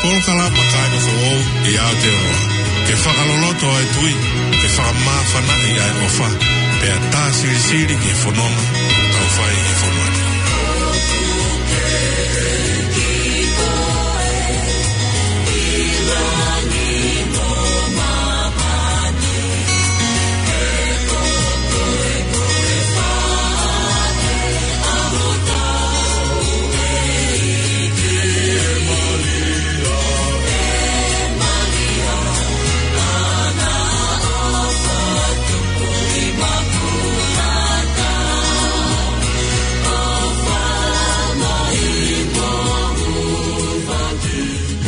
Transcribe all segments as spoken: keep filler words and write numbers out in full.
Polokalama Kāinga Foʻou ʻi Aotearoa. Ke fakaloloto ʻa e tui, ke fakamāfanaʻi ʻa e ʻofa, pea tā silisili ki he fononga ʻoku tau fai he fonua ni.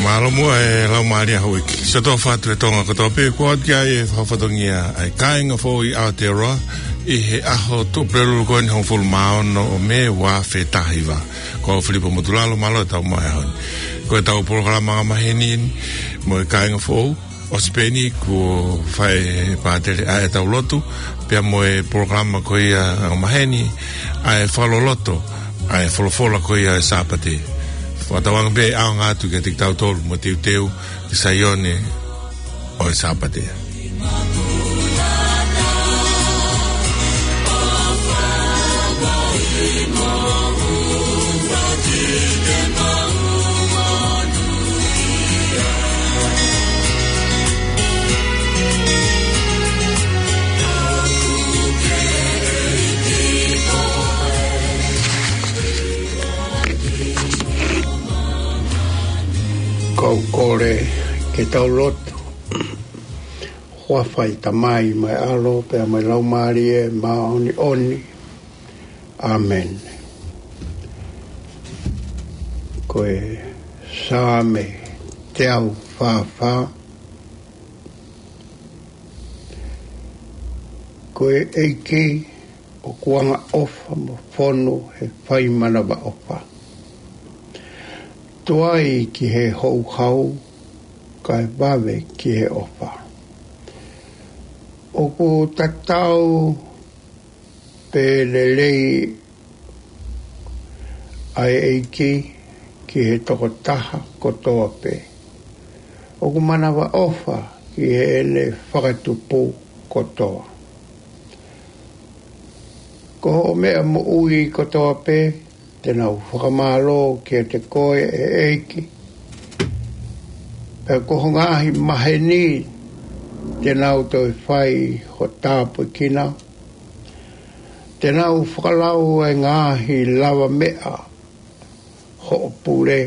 Mālō muʻa e Laumālie Houʻeiki. Siʻoto fatu e Tonga kotoa pē, kuo ʻoatu ki ai e fatongia ʻa e Kāinga Foʻou ʻi Aotearoa ʻi he ʻaho Tuʻapulelulu ko eni hongofulu mā ono ʻo Mē ua afe taha hiva. Ko au Filipo Motulalo, mālō e tau mai ʻaho ni. Ko e tau polokalama angamaheni eni mo e Kāinga Foʻou, ʻosi pē eni kuo fai ʻe he pātele ʻa e tau lotu, pea mo e polokalama ko ia angamaheni ʻa e fakaloloto ʻa e folofola ko ia ʻo e Sāpate. Fakatauange pē ʻe ʻaonga atu kiate kitautolu mo teuteu ki Saione ʻo e Sāpate. Kau kole ke tau lotu. Huafa ʻo e Tamai mo e ʻAlo pea mo e Laumālie Māʻoniʻoni. ʻĀmeni. Ko e Saame teau fā fā. Ko e ʻEiki ʻoku angaʻofa mo fonu he fai manavaʻofa. Tuai ki he houhau, kae vave ki he ʻofa. ʻOku tatau pē lelei ʻa e ʻEiki ki he tokotaha kotoa pē. ʻOku manavaʻofa ki heʻene fakatupu kotoa. Ko hoʻo meʻa moʻui kotoa pē, te nau fakamālō kiate koe ʻe ʻEiki. Pea ko ho ngaahi maheni, te nau toe fai ho tāpuekina. Te nau fakalau e ngaahi lavameʻa hoʻo pule,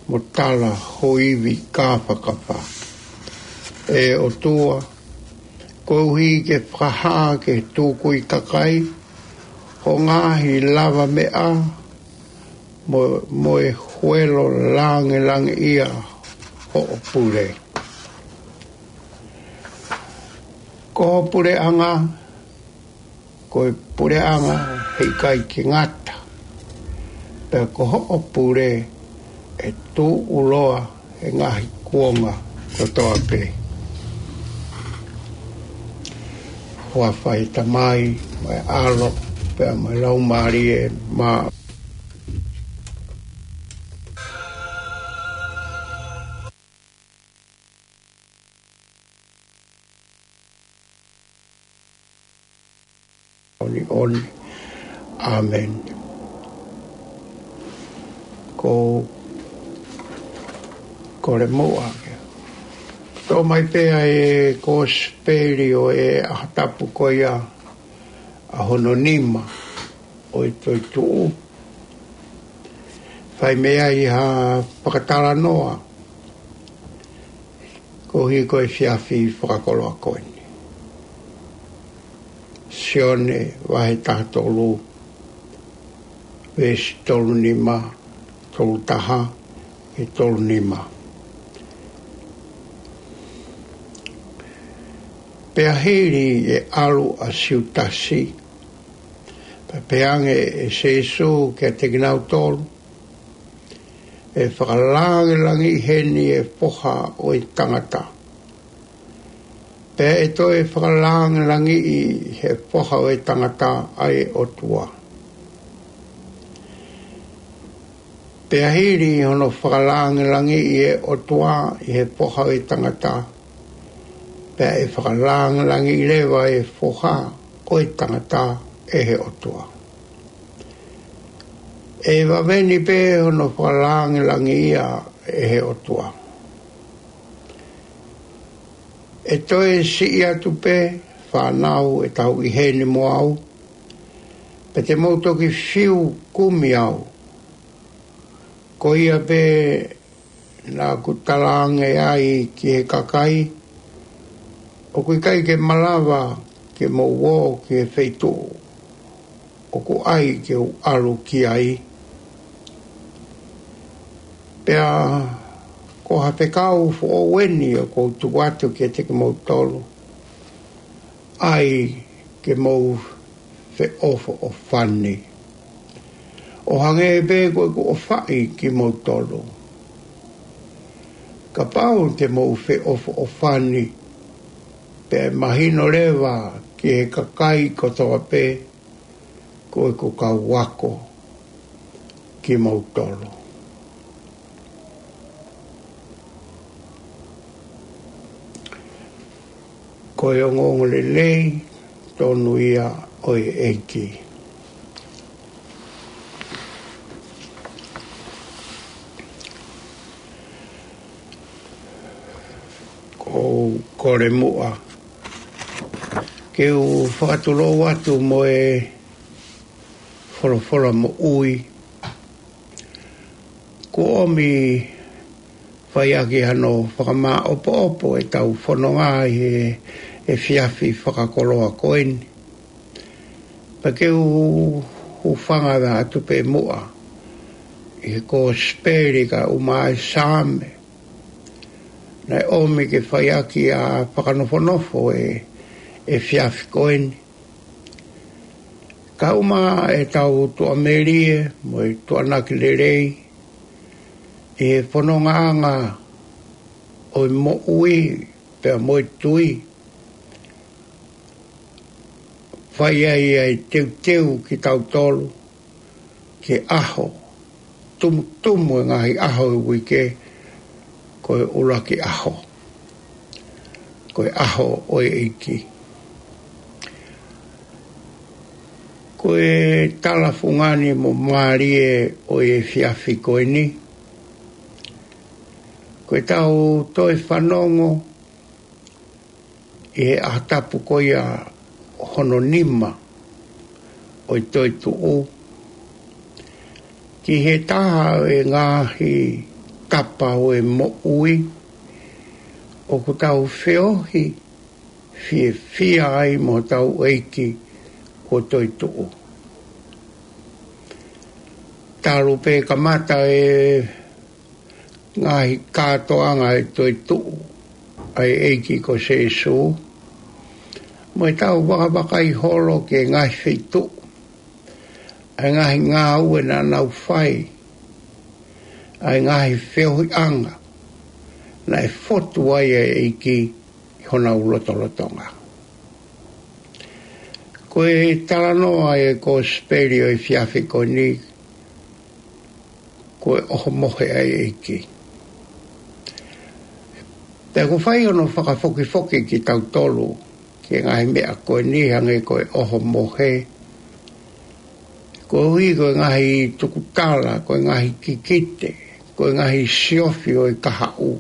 mo tala ho ivi kāfakafa. ʻE ʻOtua, koeʻuhi ke fakahā ki he tukui kakai ho ngaahi lavameʻa mo, mo e huelo langilangiʻia hoʻo pule. Ko ho puleʻanga, ko e puleʻanga heʻikai ke ngata. Pea ko hoʻo pule ʻe tuʻuloa he ngaahi kuonga kotoa pē. Huafa ʻo e Tamai, mo e ʻAlo, pea mo e Laumālie Mā- ʻoniʻoni. ʻĀmeni. Ko, kole muʻa ke tō mai pē ʻa e Kosipeli ʻo e ʻaho tapu ko ia, ʻaho hono nima ʻo e toetuʻu. Fai mei ai ha fakatalanoa koeʻuhi ko e efiafi fakakoloa ko eni. Sione vahe taha tolu, veesi tolu nima, tolu taha, ʻe tolu nima. Pea hili ʻe ʻalu ʻa Siutasi, pea pehē ange ʻe Sīsū kiate kinautolu, ʻE fakalangilangiʻi heni e Foha ʻo e Tangata. Pea ʻe toe fakalangilangiʻi he Foha ʻo e Tangata ʻa e ʻOtua. Pea hili hono fakalāngilangiʻi ʻe he ʻOtua ʻa e Foha ʻo e tangata, pea ʻe fakalāngilangiʻi leva ʻa e Foha ʻo e tangata ʻe he ʻOtua. ʻE vave ni pē hono fakalāngilangiʻia ʻe he ʻOtua. ʻE toe siʻi atu pē, fānau, ʻetau ʻi heni mo au, pea te mou toki fiu kumi au. Ko ia pē naʻa ku talaange ai ki he kakai, ʻoku ʻikai ke malava ke mou ō ki he feituʻu ʻoku ʻai ke u ʻalu ki ai. Pea ko ha fekau foʻou eni ʻoku ou tuku atu kiate kimoutolu, ʻai ke mou feʻofoʻofani, ʻo hangē pē ko ʻeku ʻofaʻi kimoutolu. Kapau te mou feʻofoʻofani, pea ʻe mahino leva ki he kakai kotoa pē ko ʻeku kau ako kimoutolu. Ko e ongoongolelei tonu ia ʻo e ʻEiki. ʻOku ou kole muʻa ke u fakatulou atu mo e folofola moʻui. Kuo ʻomi faiʻaki hano fakamāʻopoʻopo ʻetau fononga ʻi he efiafi fakakoloa ko eni. Pea ke u hūfanga atu pē muʻa ʻi he Kosipeli kae ʻumaʻā e Saame naʻe ʻomi ke faiʻaki ʻa e fakanofonofo ʻo e efiafi ko eni. Kae ʻumaʻā ʻetau tuʻamelie mo e tuʻanaki lelei ʻi he fonongaʻanga ʻo e moʻui pea mo e tui. Fai ai ʻa e teuteu kitautolu ki he ʻaho tumutumu ʻo e ngaahi ʻaho ʻo e uike, ko e ʻuluaki ʻaho, ko e ʻaho ʻo e ʻEiki. Ko e tala fungani mo mālie ʻo e efiafi ko eni, ko ʻetau toe fanongo ʻi he ʻaho tapu ko ia hono nima ʻo e toetuʻu, ki he taha ʻo e ngaahi tapa ʻo e moʻui ʻoku tau feohi fiefia ai mo hotau ʻEiki kuo toetuʻu. Talu pē kamata e ngaahi kātoanga ʻo e toetuʻu ʻa e ʻEiki ko Sīsū, mo ʻetau vakavakai holo ki he ngaahi feituʻu, ʻa e ngaahi ngāue naʻa nau fai, ʻa e ngaahi feohiʻanga naʻe fotu ai ʻa e ʻEiki ʻi honau lotolotonga. Ko e talanoa ʻo e Kosipeli ʻo e efiafi ko eni, ko e ʻohomohe ʻa e ʻEiki. Pea ʻoku fai hono fakafokifoki kitautolu ki he ngaahi meʻa ko eni hangē ko e ʻohomohe, koeʻuhi ko e ngaahi tukutala, ko e ngaahi kikite, ko e ngaahi siofi ʻo e kahaʻu,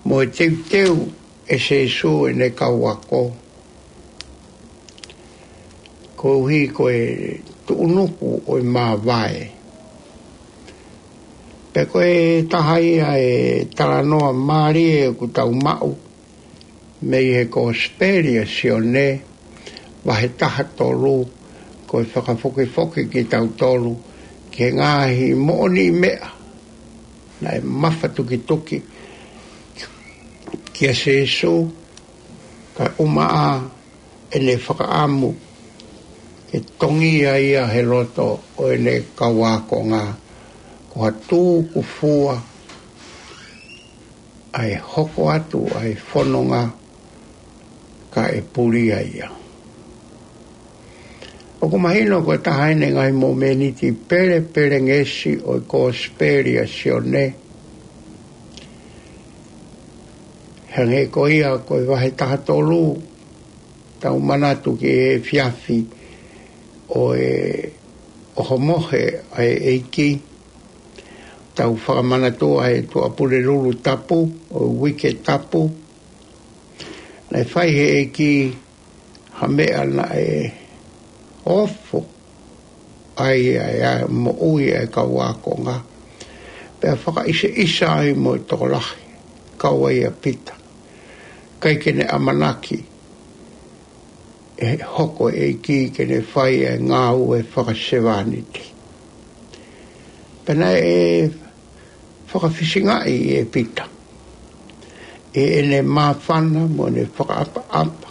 mo e teuteu ʻe Sīsū ʻene kau ako, koeʻuhi ko e tuʻunuku ʻo e māvae. Pea ko e taha ia e talanoa mālie ʻoku tau maʻu mei he Kosipeli ʻa Sione, vahe taha tolu, ko e fakafokifoki kitautolu ki he ngaahi moʻoniʻi meʻa naʻe mafatukituki kia Sīsū, kae ʻumaʻā ʻene fakaʻamu ke tongia ia he loto ʻo ʻene kau ākonga, ko ha tūkufua ʻa e hoko atu ʻa e fononga kae pulia ia. ʻOku mahino ko e taha ʻeni e ngaahi momeniti pelepelengesi ʻo e Kosipeli ʻa Sione. Hangē ko ia ko e vahe taha tolu, tau manatu ki he efiafi ʻo e ʻohomohe ʻa e ʻEiki. Tau fakamanatua he Tuʻapulelulu Tapu ʻo e Uike Tapu. Naʻe fai he ʻEiki ha meʻa naʻe ofo ai ʻa e moʻui ʻa e kau ākonga. Pea fakaʻiseʻisa ai mo e tokolahi, kau ai ʻa Pita. ʻIkai ke ne ʻamanaki ʻe hoko e ʻEiki ke ne fai e ngāue fakasevāniti. Pea naʻe fakafisingaʻi ʻe Pita ʻi heʻene māfana mo ʻene fakaʻapaʻapa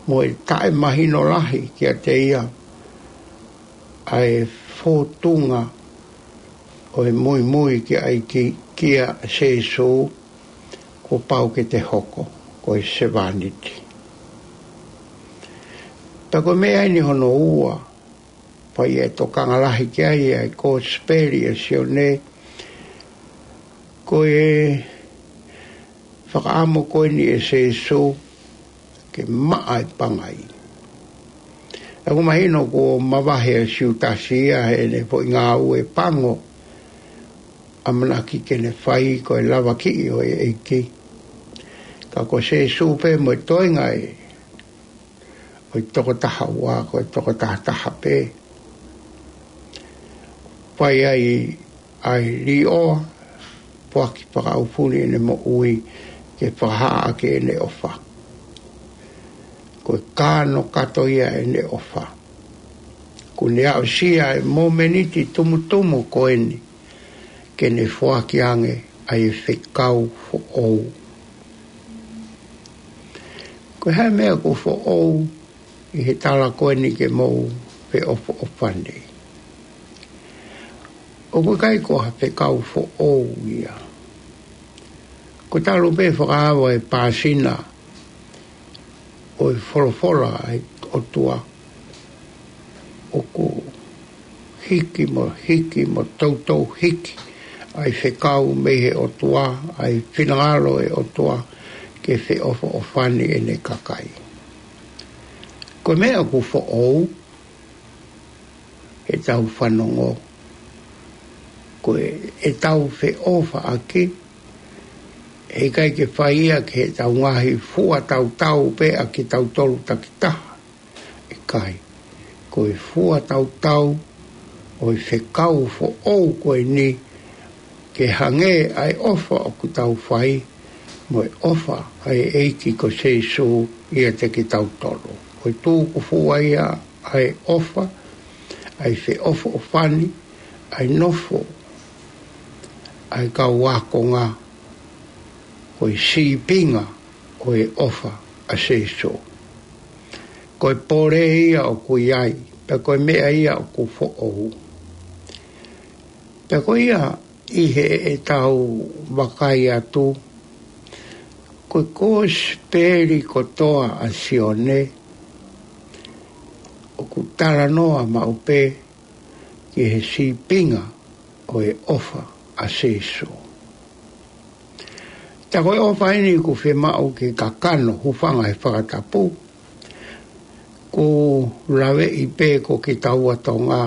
mo e taʻemahino lahi kiate ia ʻa e fōtunga ʻo e muimui ki ai ki, kia Sēsū, kuo pau ke te hoko ko e sevāniti. Pea ko e meʻa ʻeni hono ua, pea ʻi he tokanga lahi ki ai ʻa e Kosipeli ʻa Sione, ko e fakaʻamu ko eni ʻe Sēsū ke maʻa e pangai. ʻOku mahino kuo mavahe ʻa Siutasi ia heʻene foʻi ngāue pango, ʻamanaki ke ne fai ko e lavakiʻi ʻo e ʻEiki. Ka ko Sēsū pē mo e toenga ʻe ʻo e toko taha ua, ko e toko taha taha pē. Fai ai ʻa e liʻoa, foaki fakaʻaufuli ʻene moʻui ke fakahā ʻaki ʻene ʻofa. Ko e kanokato ia ʻene ʻofa. Kuo ne aʻusia e momeniti tumutumu ko eni ke ne foaki ange ʻa e fekau foʻou. Ko e hā e meʻa ʻoku foʻou ʻi he tala ko eni ke mou feʻofoʻofani? ʻOku ʻikai ko ha fekau foʻou ia. Ko e talu pē fakaava e pāsina ʻo e folofola ʻa e ʻOtua, ʻoku hiki mo hiki mo toutou hiki ʻa e fekau mei he ʻOtua, ʻa e finangalo e ʻOtua ke feʻofoʻofani ʻene kakai. Ko e meʻa ʻoku foʻou, ʻetau fanongo, ko e, ʻetau feʻofaʻaki, ʻe ʻikai ke fai ia ki heʻetau ngaahi fua tautau pē ʻa kitautolu takitaha. ʻIkai, ko e fua tautau ʻo e fekau foʻou ko eni, ke hangē ʻa e ʻofa ʻoku tau fai, mo e ʻofa ʻa e ʻEiki ko Sēsū ʻiate kitautolu. Ko e tukufua ia ʻa e ʻofa, ʻa e feʻofoʻofani, ʻa e nofo ʻa e kau ākonga, ko e sīpinga ʻo e ʻofa ʻa Sēsū. Ko e pole ia ʻoku ʻi ai, pea ko e meʻa ia ʻoku foʻou. Pea ko ia ʻi heʻetau vakai atu, ko e Kosipeli kotoa ʻa Sione, ʻoku talanoa maʻu pē ki he sīpinga ʻo e ʻofa ʻa Sēsū. Tā ko e ʻofa ʻeni ʻoku fiemaʻu ke kakano, hūfanga he fakatapu, ʻoku laveʻi pē ko kitaua Tonga,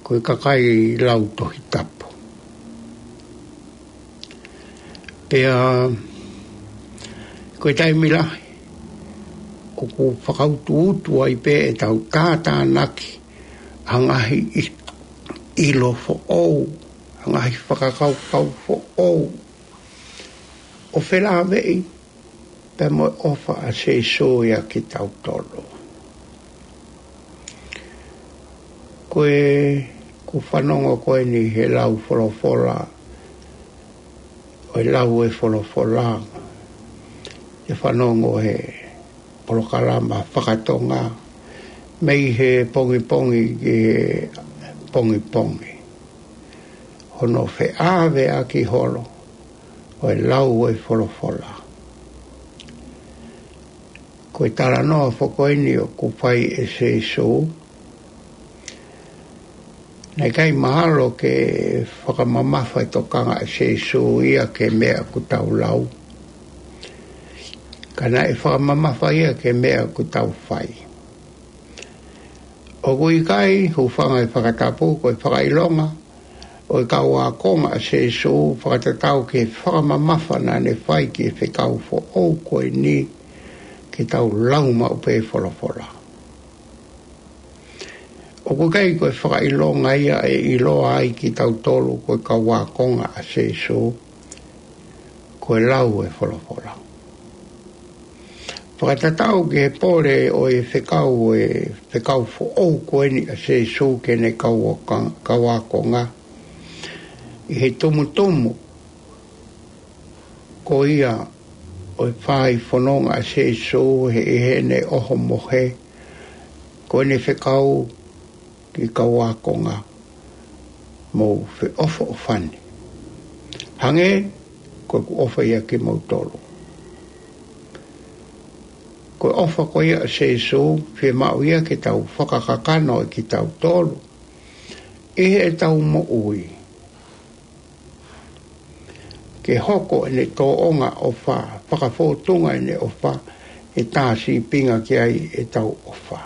ko e kakai lau Tohi Tapu. Pea, ko e taimi lahi, ʻoku fakautuutu ai pē ʻetau tātānaki ʻa e ngaahi ʻi-, ʻilo foʻou, ʻa e ngaahi fakakaukau foʻou, ʻo felāveʻi pea mo e ʻofa ʻa Sēsū ia kitautolu. Ko e, ʻoku fanongo ko eni he lau folofola, ʻo e lau e folofola, ʻe fanongo he polokalama fakatonga, mei he pongipongi ki he pongipongi. Hono feʻaveʻaki holo ʻo e lau e folofola. Ko e talanoa foki eni ʻoku fai ʻe Sēsū. Naʻe ʻikai mahalo ke fakamamafa e tokanga ʻa Sēsū ia ki he meʻa ʻoku tau lau. Ka naʻe fakamamafa ia ki he meʻa ʻoku tau fai. ʻOku ʻikai, hūfanga he fakatapu, ko e fakaʻilonga ʻo e kau ākonga ʻa Sēsū fakatatau ki he fakamamafa naʻa ne fai ki he fekau foʻou ko eni ke tau lau maʻu pē folofola. ʻOku ʻikai ko e fakaʻilonga ia ʻe ʻiloa ai kitautolu ko e kau ākonga ʻa Sēsū, ko e lau e folofola. Fakatatau ki he pole ʻo e fekau, e fekau foʻou ko eni ʻa Sēsū ki heʻene kau ākon-, kau ākonga. ʻI he tumutumu ko ia ʻo e fai fononga ʻa Sēsū, he ʻi heʻene ʻohomohe, ko ʻene fekau ki he kau ākonga, mou feʻofoʻofani. Hangē ko ʻeku ʻofa ia kimoutolu. Ko e ʻofa ko ia ʻa Sēsū, fiemaʻu ia ke tau fakakakano ʻe kitautolu ʻi heʻetau moʻui. Ke hoko ʻene tōʻonga ʻofa, fakafōtunga ʻene ʻofa, ʻe tā sīpinga ki ai ʻetau ʻofa.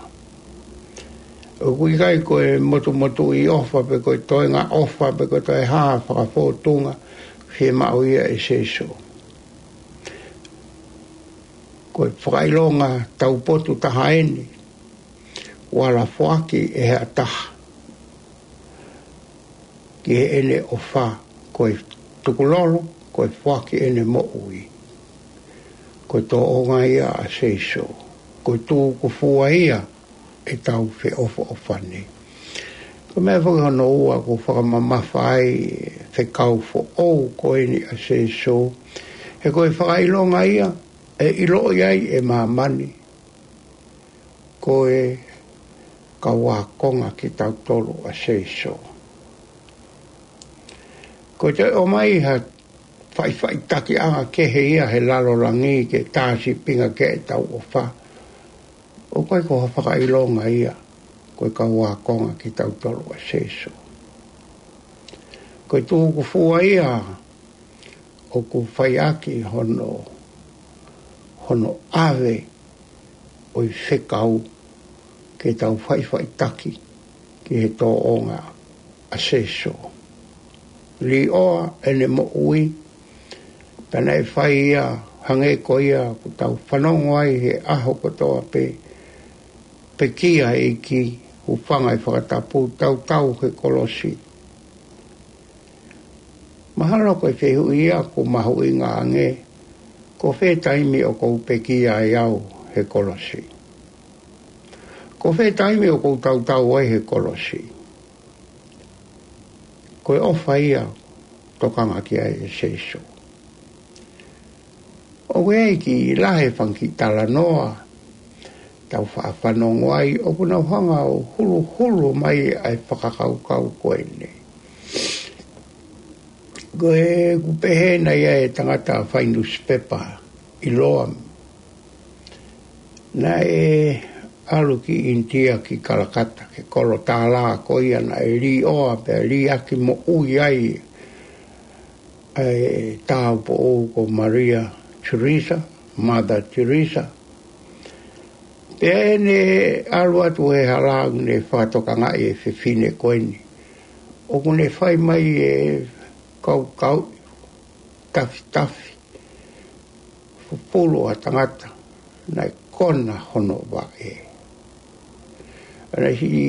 ʻOku ʻikai ko e motumotuʻi ʻofa, pe ko e toenga ʻofa, pe ko e toe hā fakafōtunga, fiemaʻu ia ʻe Sēsū. Ko e fakaʻilonga taupotu taha eni, ʻoku ala foaki ʻe ha taha ki heʻene ʻofa, ko e tukulolo, ko e foaki ʻene moʻui. Ko e tōʻonga ia ʻa Sēsū. Ko e tūkufua ia ʻetau feʻofoʻofani. Ko e meʻa foki hono ua ʻoku fakamamafa ai e fekau foʻou ko eni ʻa Sēsū. He ko e fakaʻilonga ia ʻe ʻiloʻi ai ʻe māmani ko e kau ākonga kitautolu ʻa Sēsū. Ko e toe ʻomai ha faʻifaʻitakiʻanga kehe ia he lalo langi ke tā sīpinga ki ai ʻetau ʻofa, ʻoku ʻikai ko ha fakaʻilonga ia ko e kau ākonga kitautolu ʻa Sēsū. Ko e tūkufua ia ʻoku faiʻaki hono, hono ʻave ʻo e fekau ke tau faʻifaʻitaki ki he tōʻonga ʻa Sēsū. Līʻoa ʻene moʻui, pea naʻe fai ia hangē ko ia ʻoku tau fanongo ai he ʻaho kotoa pē, pekia e ʻEiki, hūfanga he fakatapu, tautau he kolosi. Mahalo ko e fehuʻi ia ʻoku mahuʻinga ange, ko fē taimi ʻoku ou pekia ai au he kolosi? Ko fē taimi ʻoku ou tautau ai he kolosi? Ko e ʻofa ia ʻoku tokanga ki ai ʻa Sēsū. ʻOku ʻi ai e kiʻi lahi e fanga kiʻi talanoa tau faʻa fanongo ai, ʻoku nau hanga ʻo huluhulu mai ʻa e fakakaukau ko eni. Ko ʻeku pehē naʻe ʻi ai e tangata fai nusipepa ʻiloa, naʻe ʻalu ki ʻInitia, ki Kalakata, ki he kolo tālā ko ia naʻe līʻoa pea liʻaki moʻui ai ʻa e tāupoʻou ko Maria Teresa, Mother Teresa. Pea ʻi heʻene ʻalu atu he hala ʻoku ne fakatokangaʻi e fefine ko eni, ʻoku ne fai mai e kaukau tafitafi, fufulu ʻa e tangata naʻe kona hono vaʻe. Naʻe siʻi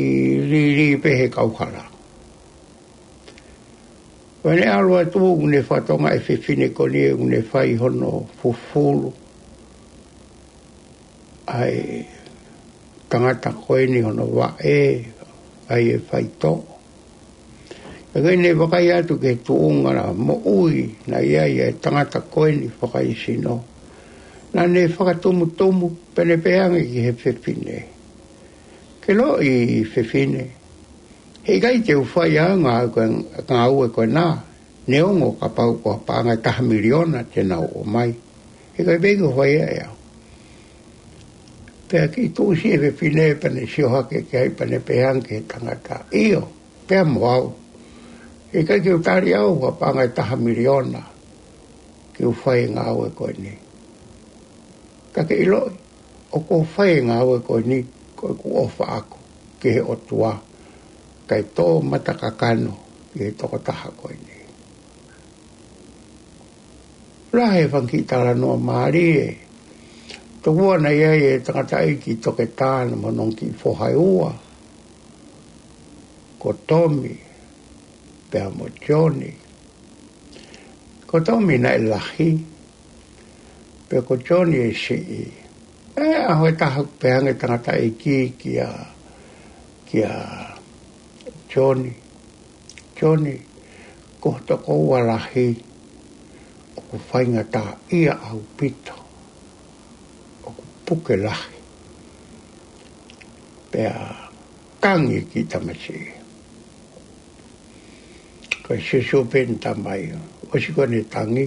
lili pē he kauhala. Pea ne ʻalu atu ʻoku ne fakatokangaʻi e fefine ko eni ʻoku ne fai hono fufulu ʻa e tangata ko eni hono vaʻe, ʻa ia ʻe faitoʻo. Pea ko ʻene vakai atu ki he tuʻunga moʻui naʻe ʻi ai ʻa e tangata ko eni fakaesino, naʻa ne fakatumutumu pea ne pehē ange ki he fefine, ke loʻi fefine, heʻikai te u fai ʻa e ngāue ko ē, ngāue ko ena, neongo kapau ko ha paʻanga ʻe taha miliona te nau ʻomai, heʻikai pē ke u fai ia ʻe au. Pea kiʻi tuʻusi e fefine pea ne sio hake ki ai pea ne pehē ange ki he tangata, ʻIo, pea mo au. ʻIkai ke u tali au ha paʻanga ʻe taha miliona ke u fai e ngāue ko eni. Ka ke ʻiloʻi, ʻoku ou fai e ngāue ko eni, ko ʻeku ʻofa ʻaʻaku ki he ʻOtua, kae tō mata kakano ki he tokotaha ko eni. Lahi e fanga kiʻi talanoa mālie. Tokua naʻe ʻi ai e tangataʻeiki toketā naʻa mo hono kiʻi foha ʻe ua, ko Tomi pea mo Sione. Ko Tomi naʻe lahi, pea ko Sione ʻe siʻi. ʻI he ʻaho ʻe taha pehē ange e tangataʻeiki kia, kia Sione, Sione, ko ho tokoua lahi ʻoku faingataʻaʻia ʻaupito, ʻoku puke lahi. Pea tangi e kiʻi tamasiʻi. Ko e siosio pē ʻene tamai, ʻosi ko ʻene tangi,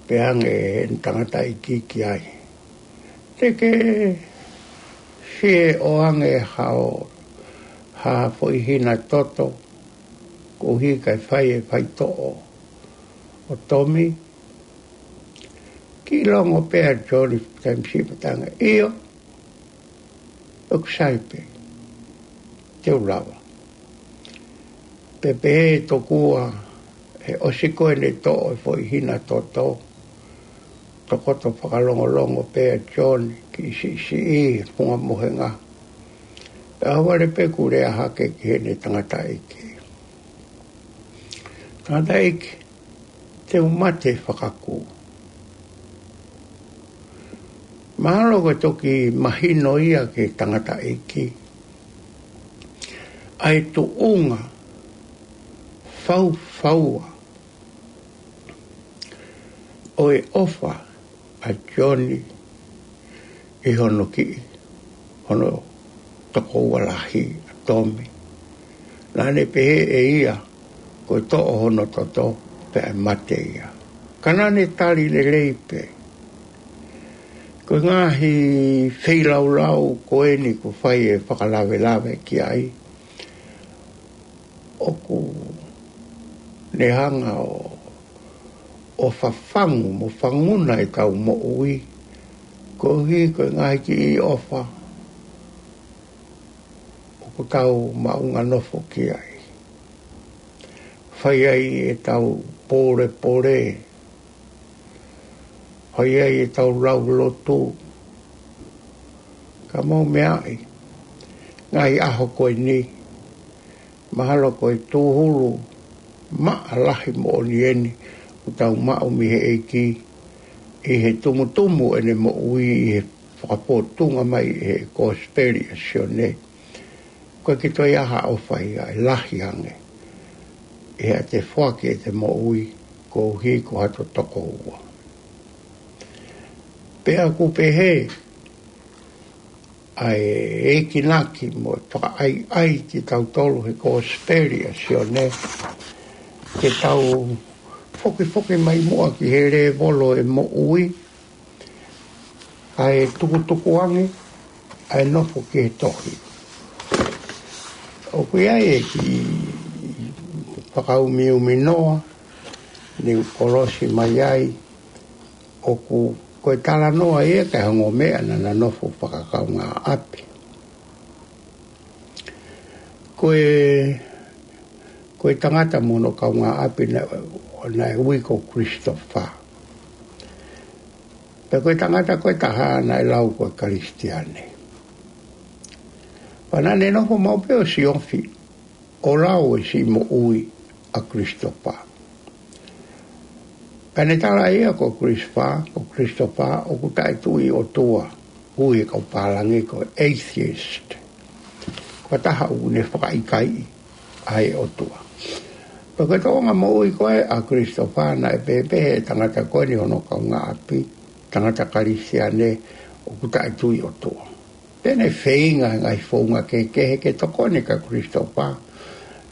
pehē ange ʻe he tangataʻeiki ki ai, Te ke fie ʻoange hao ha foʻi hina toto koeʻuhi kae fai e faitoʻo ʻo Tomi? Kiʻi longo pē ʻa Sione, taimi siʻi pea tangi, ʻIo, ʻoku sai pē, te u lava. Pea pehē tokua, he ʻosi ko ʻene toʻo e foʻi hina toto, tokoto fakalongolongo pē ʻa Sione kiʻi siʻisiʻi he funga mohenga. Pea ʻalu vale pē kuo lea hake ki heʻene tangataʻeiki, Tangataʻeiki, te u mate fakakū. Mahalo ko e toki mahino ia ki he tangataʻeiki ʻa e tuʻunga faufaua ʻo e ʻofa ʻa Sione ʻi hono kiʻi, hono tokoua lahi ʻa Tomi. Naʻa ne pehē ʻe ia ko e toʻo hono toto pea ʻe mate ia. Ka naʻa ne tali lelei pē. Ko e ngaahi feilaulau ko eni kuo fai e fakalavelave ki ai, ʻoku ne hanga ʻo, ʻo fafangu mo fanguna ʻetau moʻui koeʻuhi ko e ngaahi kiʻi ʻofa ʻoku tau maʻunga nofo ki ai. Fai ai ʻetau pōlepole, fai ai ʻetau lau lotu, ka mou meaʻi, ngaahi ʻaho ko eni, mahalo ko e tūhulu maʻa lahi moʻoni eni ʻoku tau maʻu mei he ʻEiki ʻi he tumutumu ʻene moʻui ʻi he fakapōtunga mai ʻe he Kosipeli ʻa Sione. ʻOku ʻikai ke toe ʻi ai ha ʻofa ia ʻe lahi ange ʻi heʻete foaki ʻete moʻui koeʻuhi ko hato tokoua. Pea ʻoku pehē ʻa e ekinaki mo e fakaʻaiʻai kitautolu he Kosipeli ʻa Sione, ke tau fokifoki mai muʻa ki he lēvolo ʻo e moʻui, kae tukutuku ange ʻa e nofo ki he tohi. ʻOku ʻi ai e kiʻi fakaumiumi noa, ne u kolosi mai ai, ʻoku ko e talanoa ia ki he ongo meʻa naʻa na nofo fakakaungāʻapi. Ko e, ko e tangata mo hono kaungāʻapi naʻe, naʻe ui ko Christopher. Pea ko e tangata ko e taha naʻe lau ko e Kalisitiane. Pea naʻa ne nofo maʻu pē ʻo siofi ʻo lau e siʻi moʻui ʻa Christopher. Pea ne tala ia ko Christopher, ko Christopher ʻoku taʻetui ʻOtua, ui e kau pālangi ko e atheist. Ko e taha ʻoku ne fakaʻikaiʻi ʻa e ʻOtua. Pea ko e tōʻonga moʻui ko ē ʻa Christopher naʻe pehē ʻe he tangata ko eni hono kaungāʻapi, tangata Kalisitiane ʻoku taʻetui ʻOtua. Pea ne feinga he ngaahi founga kehekehe ke tokoni kia Christopher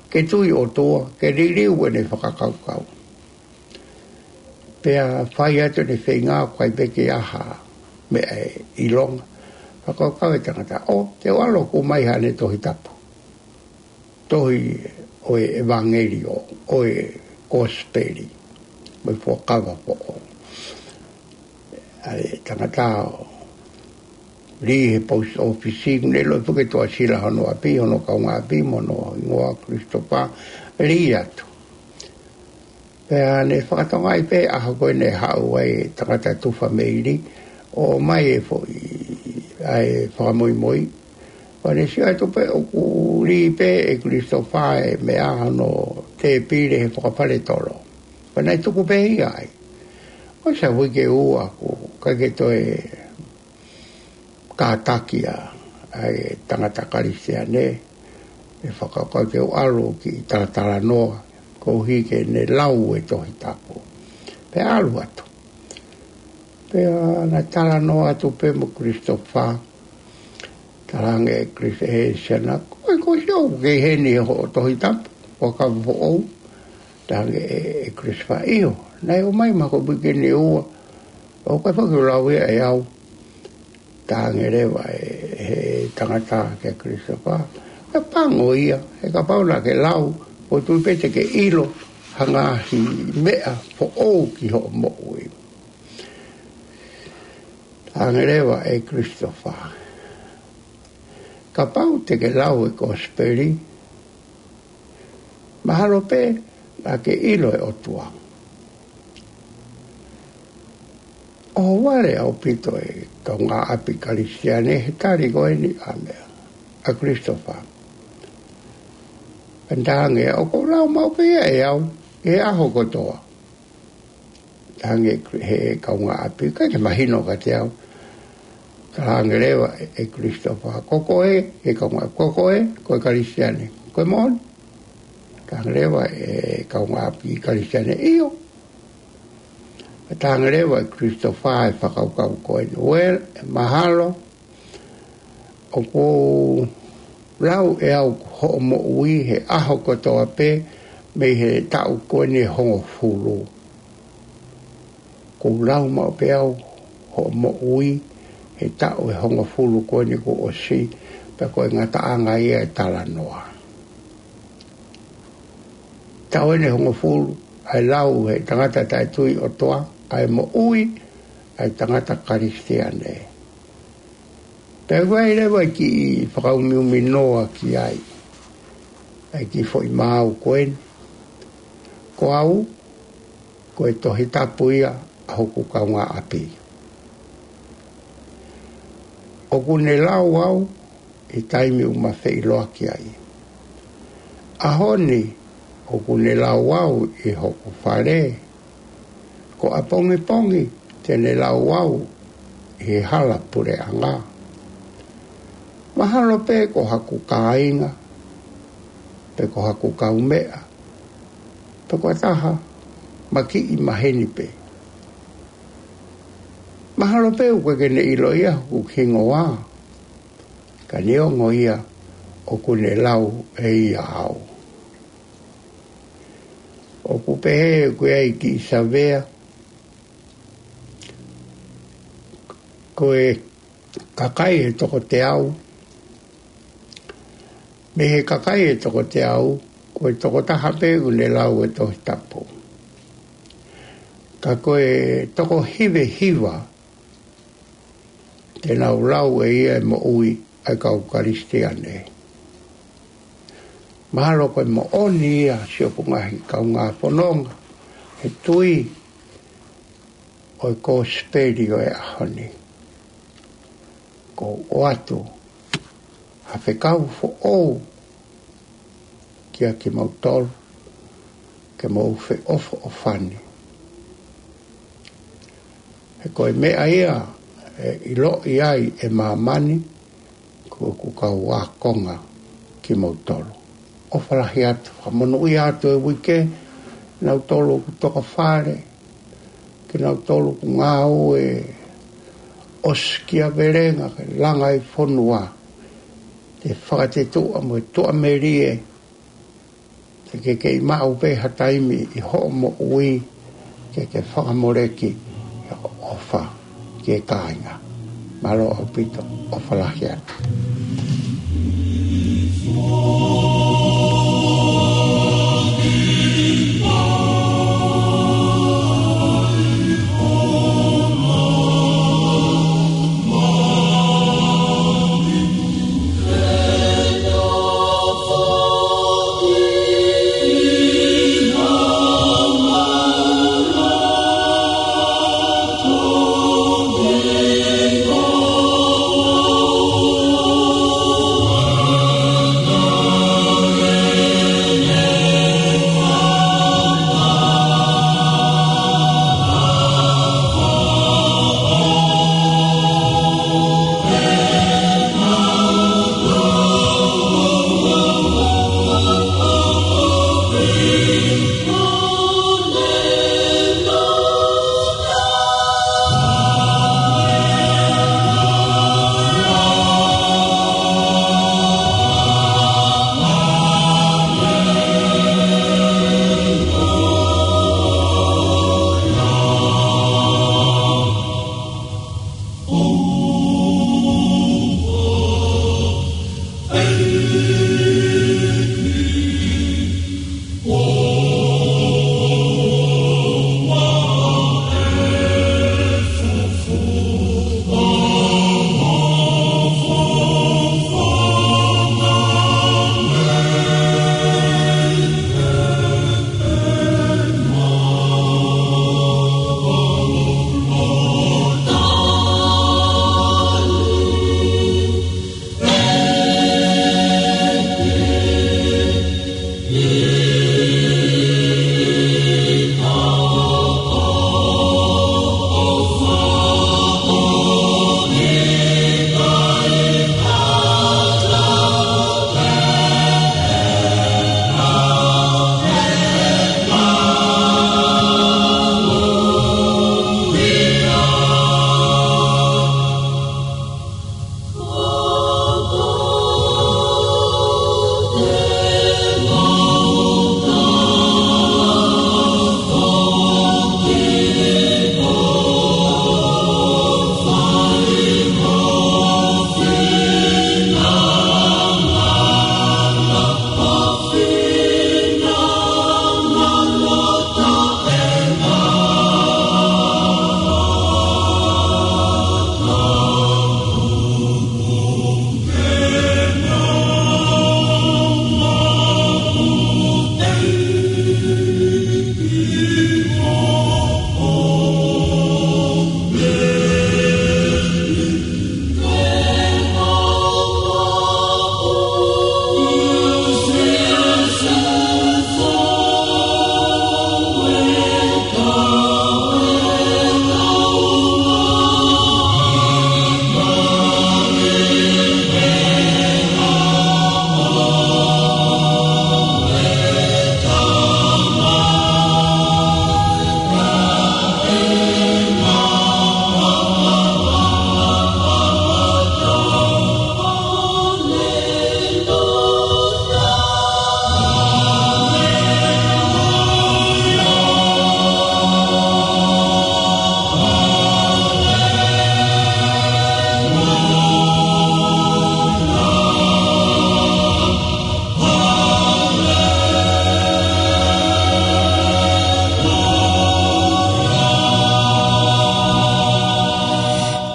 ke tui ʻOtua, ke liliu ʻene fakakaukau. Pea fai atu ʻene feinga ʻo ʻikai pē ke ʻi ai ha meʻa ʻe ʻilonga. Fakakaukau e tangata, ʻo, te u ʻalu ʻo ʻomai haʻane Tohi Tapu. Tohi ʻo e ʻevangeliō, ʻo e kosipeli, mo e fuakava foʻou. ʻA e tangata ʻo lī he post office, ne ʻilo pē ke tuʻasila hono ʻapi, hono kaungāʻapi, mo hono hingoa Christopher, lī atu. Pea ne fakatokangaʻi pē ʻaho ko ē ne haʻu ai e tangata tufa meili, ʻo ʻomai e foʻi, ʻa e fakamoimoi. Pea ne sio atu pē ʻoku lī pē ʻe Christopher e meʻa hono tēpile he fakafaletolo. Pea naʻe tuku pē ia ai. ʻOsi e uike ʻe ua kuo ʻikai ke toe kātaki ʻa e tangata Kalisitiane, ʻe fakakaukau ke u ʻalu ki talatalanoa, koeʻuhi ke ne lau e Tohi Tapu. Pea ʻalu atu. Pea na talanoa atu pē mo Christopher, talaange ʻe Chris, ʻe siana, ko e ko sio ke heni hoʻo Tohi Tapu, fuakava foʻou, talaange ʻe, ʻe Christopher, ʻio, naʻe ʻomai mahalo ko e uike ʻe ua, ʻoku ʻikai foki ke u lau ia ʻe au. Talaange leva ʻe he tangata kia Christopher, ka pango ia, he kapau naʻa ke lau, ʻoku ou tui pē te ke ʻilo ha ngaahi meʻa foʻou ki hoʻo moʻui. Talaange leva ʻe Christopher, kapau te ke lau e kosipeli, mahalo pē naʻa ke ʻilo e ʻOtua. ʻOhovale ʻaupito e kaungāʻapi Kalisitiane he tali ko eni ʻa e meʻa ʻa Christopher. Pea talaange, ʻoku ou lau maʻu pē ia ʻe au, he ʻaho kotoa. Talaange he kaungāʻapi, ʻikai ke mahino kiate au. Talaange leva ʻe Christopher, ko koe, he kaungāʻapi, ko koe, ko e Kalisitiane, ko e moʻoni? Talaange leva ʻe kaungāʻapi Kalisitiane, ʻio. Talaange leva ʻe Christopher e fakakaukau ko eni, well, ʻe mahalo, ʻoku ou lau ʻe au hoʻo moʻui he ʻaho kotoa pē mei he taʻu ko eni ʻe hongofulu. ʻOku ou lau maʻu pē au hoʻo moʻui he taʻu ʻe hongofulu ko eni kuo ʻosi, pea ko e ngataʻanga ia e talanoa. Taʻu eni ʻe hongofulu, ʻa e lau he tangata taʻetui ʻOtua, ʻa e moʻui ʻa e tangata Kalisitiane. Pea ʻoku ʻi ai leva e kiʻi fakaumiumi noa ki ai, ʻa e kiʻi foʻi maau ko eni. Ko au, ko e Tohi Tapu ia ʻa hoku kaungāʻapi. ʻOku ne lau au ʻi he taimi ʻoku ma feʻiloaki ai. ʻAho ni, ʻoku ne lau au ʻi hoku fale, ko ʻapongipongi te ne lau au ʻi he hala puleʻanga. Mahalo pē ko haku kāinga, pe ko haku kaumeʻa, pe ko ha taha makiʻi maheni pē. Mahalo pē ʻoku ʻikai ke ne ʻilo ia hoku hingoa, ka neongo ia ʻoku ne lau ʻe ia au. ʻOku pehē ʻoku ʻi ai e kiʻi savea, ko e kakai ʻe toko teau, mei he kakai ʻe toko teau, ko e toko taha pē ʻoku ne lau e Tohi Tapu. Ka ko e toko hiva hiva, te nau lau ʻe ia e moʻui ʻa e kau Kalisitiane. Mahalo ko e moʻoni ia siʻoku ngaahi kaungā fononga he tui ʻo e kosipeli ʻo e ʻaho ni. ʻOku ou ʻoatu ha fekau foʻou kia kimoutolu, ke mou feʻofoʻofani. He ko e meʻa ia ʻe ʻiloʻi ai ʻe māmani, ko ʻeku kau ākonga kimoutolu. ʻOfa lahi atu, fakamonūʻia atu e uike, nautolu ʻoku toka fale, kinautolu ʻoku ngāue ʻosikiavelenga ke langa e fonua, te fakatetuʻa mo e tuʻamelie, te ke kei maʻu pē ha taimi ʻi hoʻo moʻui ke ke fakamoleki ʻa e ʻofa ki he kāinga. Mālō ʻaupito, ʻofa lahi atu.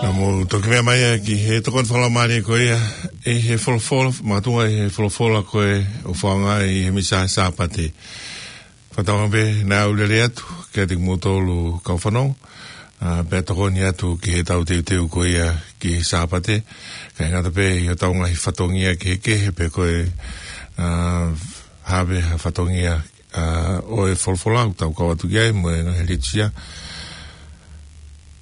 Naʻa mou toki meʻa mai ā ki he tokoni fakalaumālie ko ia, ʻi he folofola, makatuʻunga ʻi he folofola ko ē ʻoku fakaongo ʻi he Misa Sāpate. Fakatauange pē naʻa ku lele atu kiate kimoutolu kau fanongo, ā, pea tokoni atu ki heʻetau teuteu ko ia ki he Sāpate, kae ʻikai ngata pē ʻi hotau ngaahi fatongia kehekehe pe ko e, ā, hā pē ha fatongia, ā, ʻo e folofola ʻoku tau kau atu ki ai mo e ngaahi litūsia,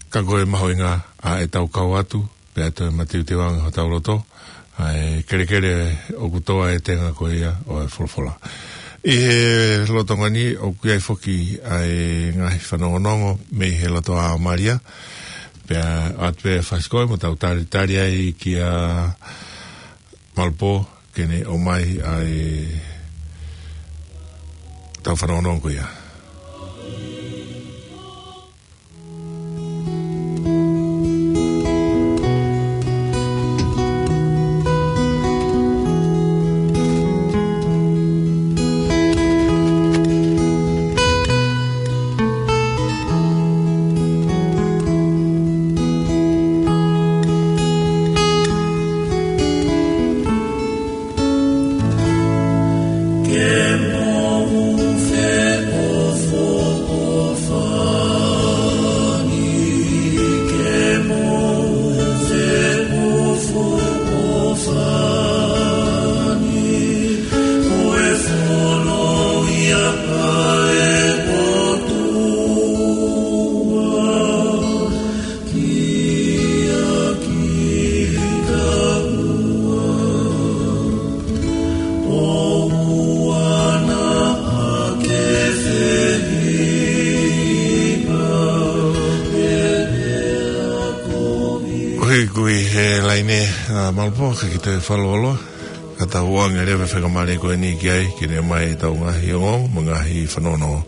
ka ko e mahuʻinga ʻa ʻetau kau atu, pea toe mateuteu ange hotau loto, ʻa e kelekele ʻoku tō ai e tenga ko ia ʻo e folofola. ʻI he lolotonga ni ʻoku ʻi ai foki ʻa e ngaahi fanongonongo mei he loto ʻa Malia, pea ʻoatu pē fasi ko ē mo tau talitali ai kia Malupō, ke ne ʻomai ʻa e tau fanongonongo ko ia. Kui, kui he laine, ʻa Malapō, ke kita fakalōloa. Ka tau ʻoange leva e faingamālie ko eni ki ai, ke ne ʻomai ʻetau ngaahi ongoongo mo e ngaahi fanongonongo.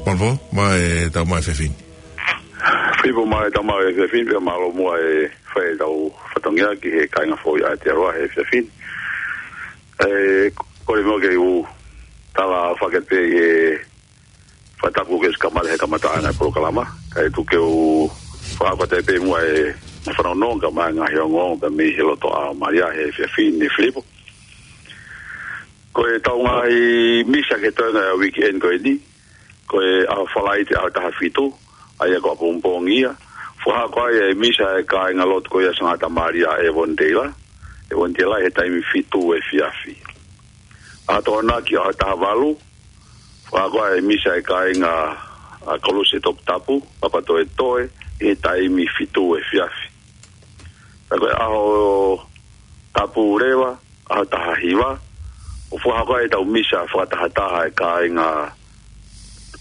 Malapō, mai ʻetau maʻu efiafi ni. Filipo, mai ʻetau maʻu efiafi ni, pea mālō muʻa e fai ʻetau fatongia ki he kāinga foʻou ʻa Aotearoa he efiafi ni. ʻE, kole muʻa ke u tala fakatapu pē ʻi he fakatapu kuo ʻosi kamata he kamataʻanga e polokalama. Kae tuku ke u fakatapu pē muʻa e fanongonongo kae ʻumaʻā e ngaahi ongoongo pea mei he loto ʻa Malia he efiafi ni, Filipo. Ko ʻetau ngaahi misa ki he toenga e weekend ko eni, ko e ʻaho Falaite ʻaho taha fitu, ʻa ia ko ʻapongipongi ia. Fakahoko ai e misa e kāingalotu ko ia Sangata Malia ʻEvoni Teila, ʻEvoni Teila he taimi fitu efiafi. ʻAho Tokonaki ʻaho taha valu, fakahoko ai e misa e kāinga ʻa Koluse Toputapu, Papatoetoe, he taimi fitu efiafi. Pea ko e ʻaho Tapu leva, ʻaho taha hiva, ʻoku fakahoko ai ʻetau misa fakatahataha e kāinga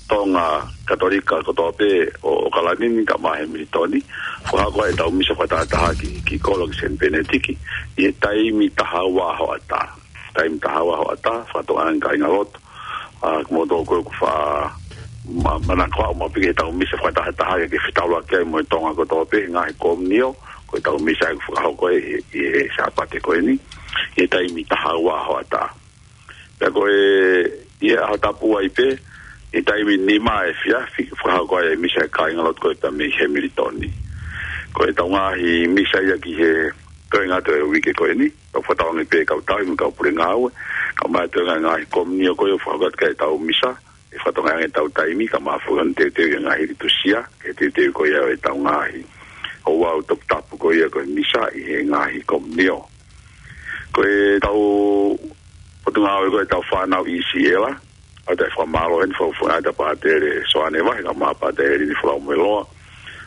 Tonga Katolika kotoa pē ʻo ʻAokalani ni kae ʻumaʻā Hemilitoni. Fakahoko ai ʻetau misa fakatahataha ki, ki kolo ki Seni Penetiki, ʻi he taimi taha ua hoʻatā. Taimi taha ua hoʻatā, fakatokangaʻi e kāingalotu. ʻA, kimoutolu ko ē ʻoku fa-, ma-, manako ʻo maʻu pē ki heʻetau misa fakatahataha ke, ke fetaulaki ai mo e Tonga kotoa pē, ngaahi komunio, ko ʻetau misa ʻoku fakahoko ʻi he, ʻi he Sāpate ko eni, ʻi he taimi taha ua hoʻatā. Pea ko e, ʻi he ʻaho Tapu ai pē, ʻi he taimi nima efiafi, fakahoko ai e misa e kāingalotu ko ē pea mei Hemilitoni. Ko ʻetau ngaahi misa ia ki he toenga atu e uike ko eni, ʻoku fakatauange pē kau tauhi mo e kau pule ngāue, kae ʻumaʻā e toenga e ngaahi komunio ko ē ʻoku fakahoko atu ki ai ʻetau misa, ʻe fakatokangaʻi ange ʻetau taimi, kae ʻumaʻā foki hono teuteu e ngaahi litūsia, ke teuteu ko ia ʻetau ngaahi ouau toputapu ko ia ko e misa ʻi he ngaahi komunio. Ko ʻetau potungāue ko ē ʻetau fānau ʻi Siela, ʻoatu e fakamālō heni fakafofonga ʻa Pātele Soane Vahe, kae ʻumaʻā Pātele Lini Folau Moeloa.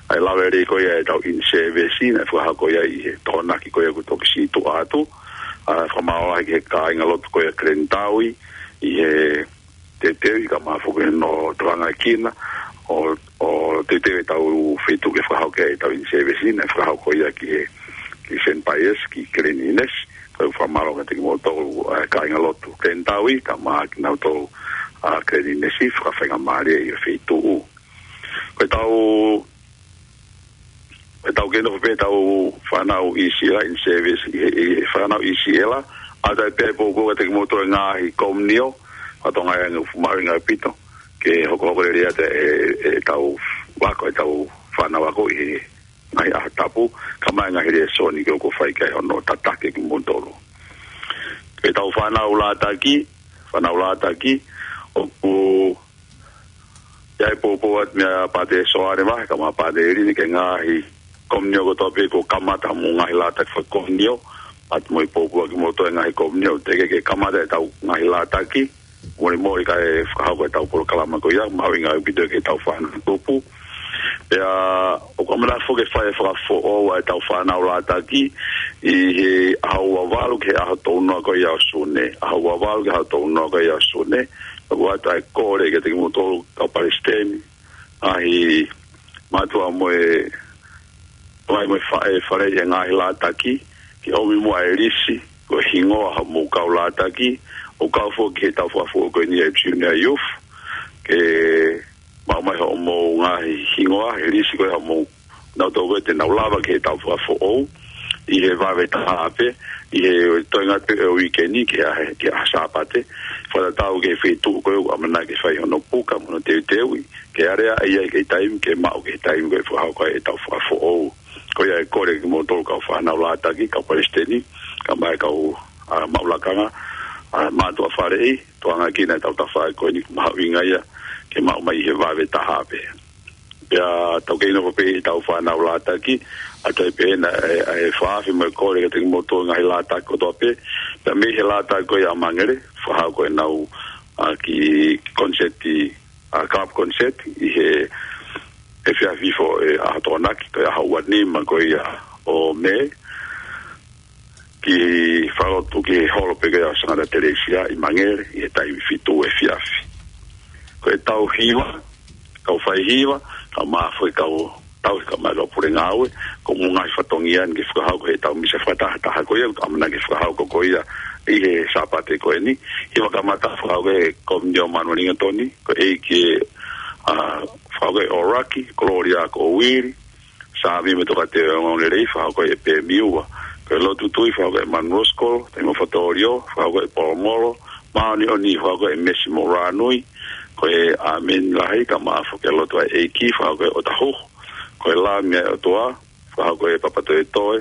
ʻA e lave lelei ko ia ʻetau in-service, naʻe fakahoko ia ʻi he Tokonaki ko ia kuo toki situʻa atu. ʻA, fakamālō lahi ki he kāingalotu ko ia Glen Tawi, ʻi he teuteu kae ʻumaʻā foki hono tokangaekina, ʻo, ʻo teuteu ʻetau feituʻu ke fakahoko ai ʻetau in-service, naʻe fakahoko ia ki he, ki Seni Paesi, ki Glen Innes, ko e fakamālō kiate kimoutolu, ʻa, kāingalotu Glen Tawi, kae ʻumaʻā kinautolu, ʻa, Glen Innes, fakafaingamālie ʻi he feituʻu. Ko ʻetau, ko ʻetau kei nofo pē ʻetau fānau ʻi Siela in-service, ʻi he, ʻi he fānau ʻi Siela, ʻoatu ai pē e poupou kiate kimoutolu e ngaahi komunio, fakatokangaʻi ange ʻoku mahuʻinga ʻaupito, ke hokohoko lelei atu e, e, ʻetau ako, ʻetau fānau ako ʻi he ngaahi ʻaho Tapu, kae ʻumaʻā e ngaahi lēsoni ke ʻoku fai ki ai hono tataki kimoutolu. Ko ʻetau fānau Lātaki, fānau Lātaki, ʻoku ʻi ai e poupou atu meia Pātele Soane Vahe, kae ʻumaʻā Pātele Lini ki he ngaahi komunio kotoa pē kuo kamata mo e ngaahi Lātaki fakakomunio, ʻoatu mo e poupou atu kimoutolu e ngaahi komunio, teʻeki ke kamata ʻetau ngaahi Lātaki, molemole kae fakahoko ʻetau polokalama ko ia, mahuʻinga ʻaupito ki heʻetau fānau tupu. Pea, ʻoku ʻamanaki foki ke fai e fakafoʻou ʻa ʻetau fānau Lātaki, ʻi he ʻaho ua valu ki he ʻaho tolu noa ko ia ʻo Sune. ʻAho ua valu ki he ʻaho tolu noa ko ia ʻo Sune. ʻOatu ʻa e kole kiate kimoutolu kau palesiteni, ngaahi mātuʻa mo e, mai mo e fa-, e fale ʻi he ngaahi Lātaki, ke ʻomi muʻa e lisi, ko e hingoa homou kau Lātaki, ʻo kau foki ki heʻetau fakafoʻou ko eni e Junior Youth, ke maʻu mai hoʻomou ngaahi hingoa, e lisi ko ē homou, nautolu ko ē te nau lava ki heʻetau fakafoʻou, ʻi he vave taha pē, ʻi he toenga atu e uike ni ki he, ki he Sāpate, fakatatau ki he feituʻu ko ē ʻoku ʻamanaki ke fai hono puka mo hono teuteuʻi, ke aleaʻi ai ki he taimi, ke maʻu ki he taimi ko ē fakahoko ai ʻetau fakafoʻou. Ko ia e kole kimoutolu kau fānau Lātaki, kau palesiteni, kae ʻumaʻā e kau, ʻa, maʻu lakanga, ʻa, mātuʻa faleʻi, tokangaekina ʻetau tafaʻaki ko eni, mahuʻinga ia ke maʻu mai ʻi he vave taha pē. Pea tau kei nofo pē ʻi heʻetau fānau Lātaki, ʻoatu ai pē ʻena e, e, e fakaafe mo e kole kiate kimoutolu ngaahi Lātaki kotoa pē, pea mei he Lātaki ko ia ʻa Mangere, fakahoko ʻenau, ʻa, kiʻi concert, ʻa, club concert, ʻi he, he efiafi foki ʻo e ʻaho Tokonaki, ko e ʻaho ua nima ko ia ʻo Mē, ki he fakalotu ki he holo pē ko ia ʻo Sangata Telesia ʻi Mangere, ʻi he taimi fitu efiafi. Ko ʻetau hiva, kau faihiva, kae ʻumaʻā foki e kau tauhi kae ʻumaʻā e kau pule ngāue, ko hono ngaahi fatongia ni ke fakahoko ʻetau misa fakatahataha ko ia, ʻoku ʻamanaki ke fakahoko ko ia ʻi he Sāpate ko eni. Hiva kamata fakahoko ʻe he Komiunio Manuelinga Toni, ko e ʻEiki, ʻa, fakahoko ʻe ʻOlaki, Kolōlia ko Uili, Sāmi mo e Tokāteline Ongoongolelei, fakahoko ʻe Pēmiua. Ko e Lotu Tui, fakahoko ʻe Manuel Skol, Taima Fatolio, fakahoko ʻe Polomolo, Māʻoniʻoni, fakahoko ʻe Mesi Moranui, ko e ʻĀmeni Lahi, kae ʻumaʻā foki e Lotu ʻa e ʻEiki, fakahoko ʻe ʻOtahuhu. Ko e Lami ʻa e ʻOtua, fakahoko ʻe Papatoetoe,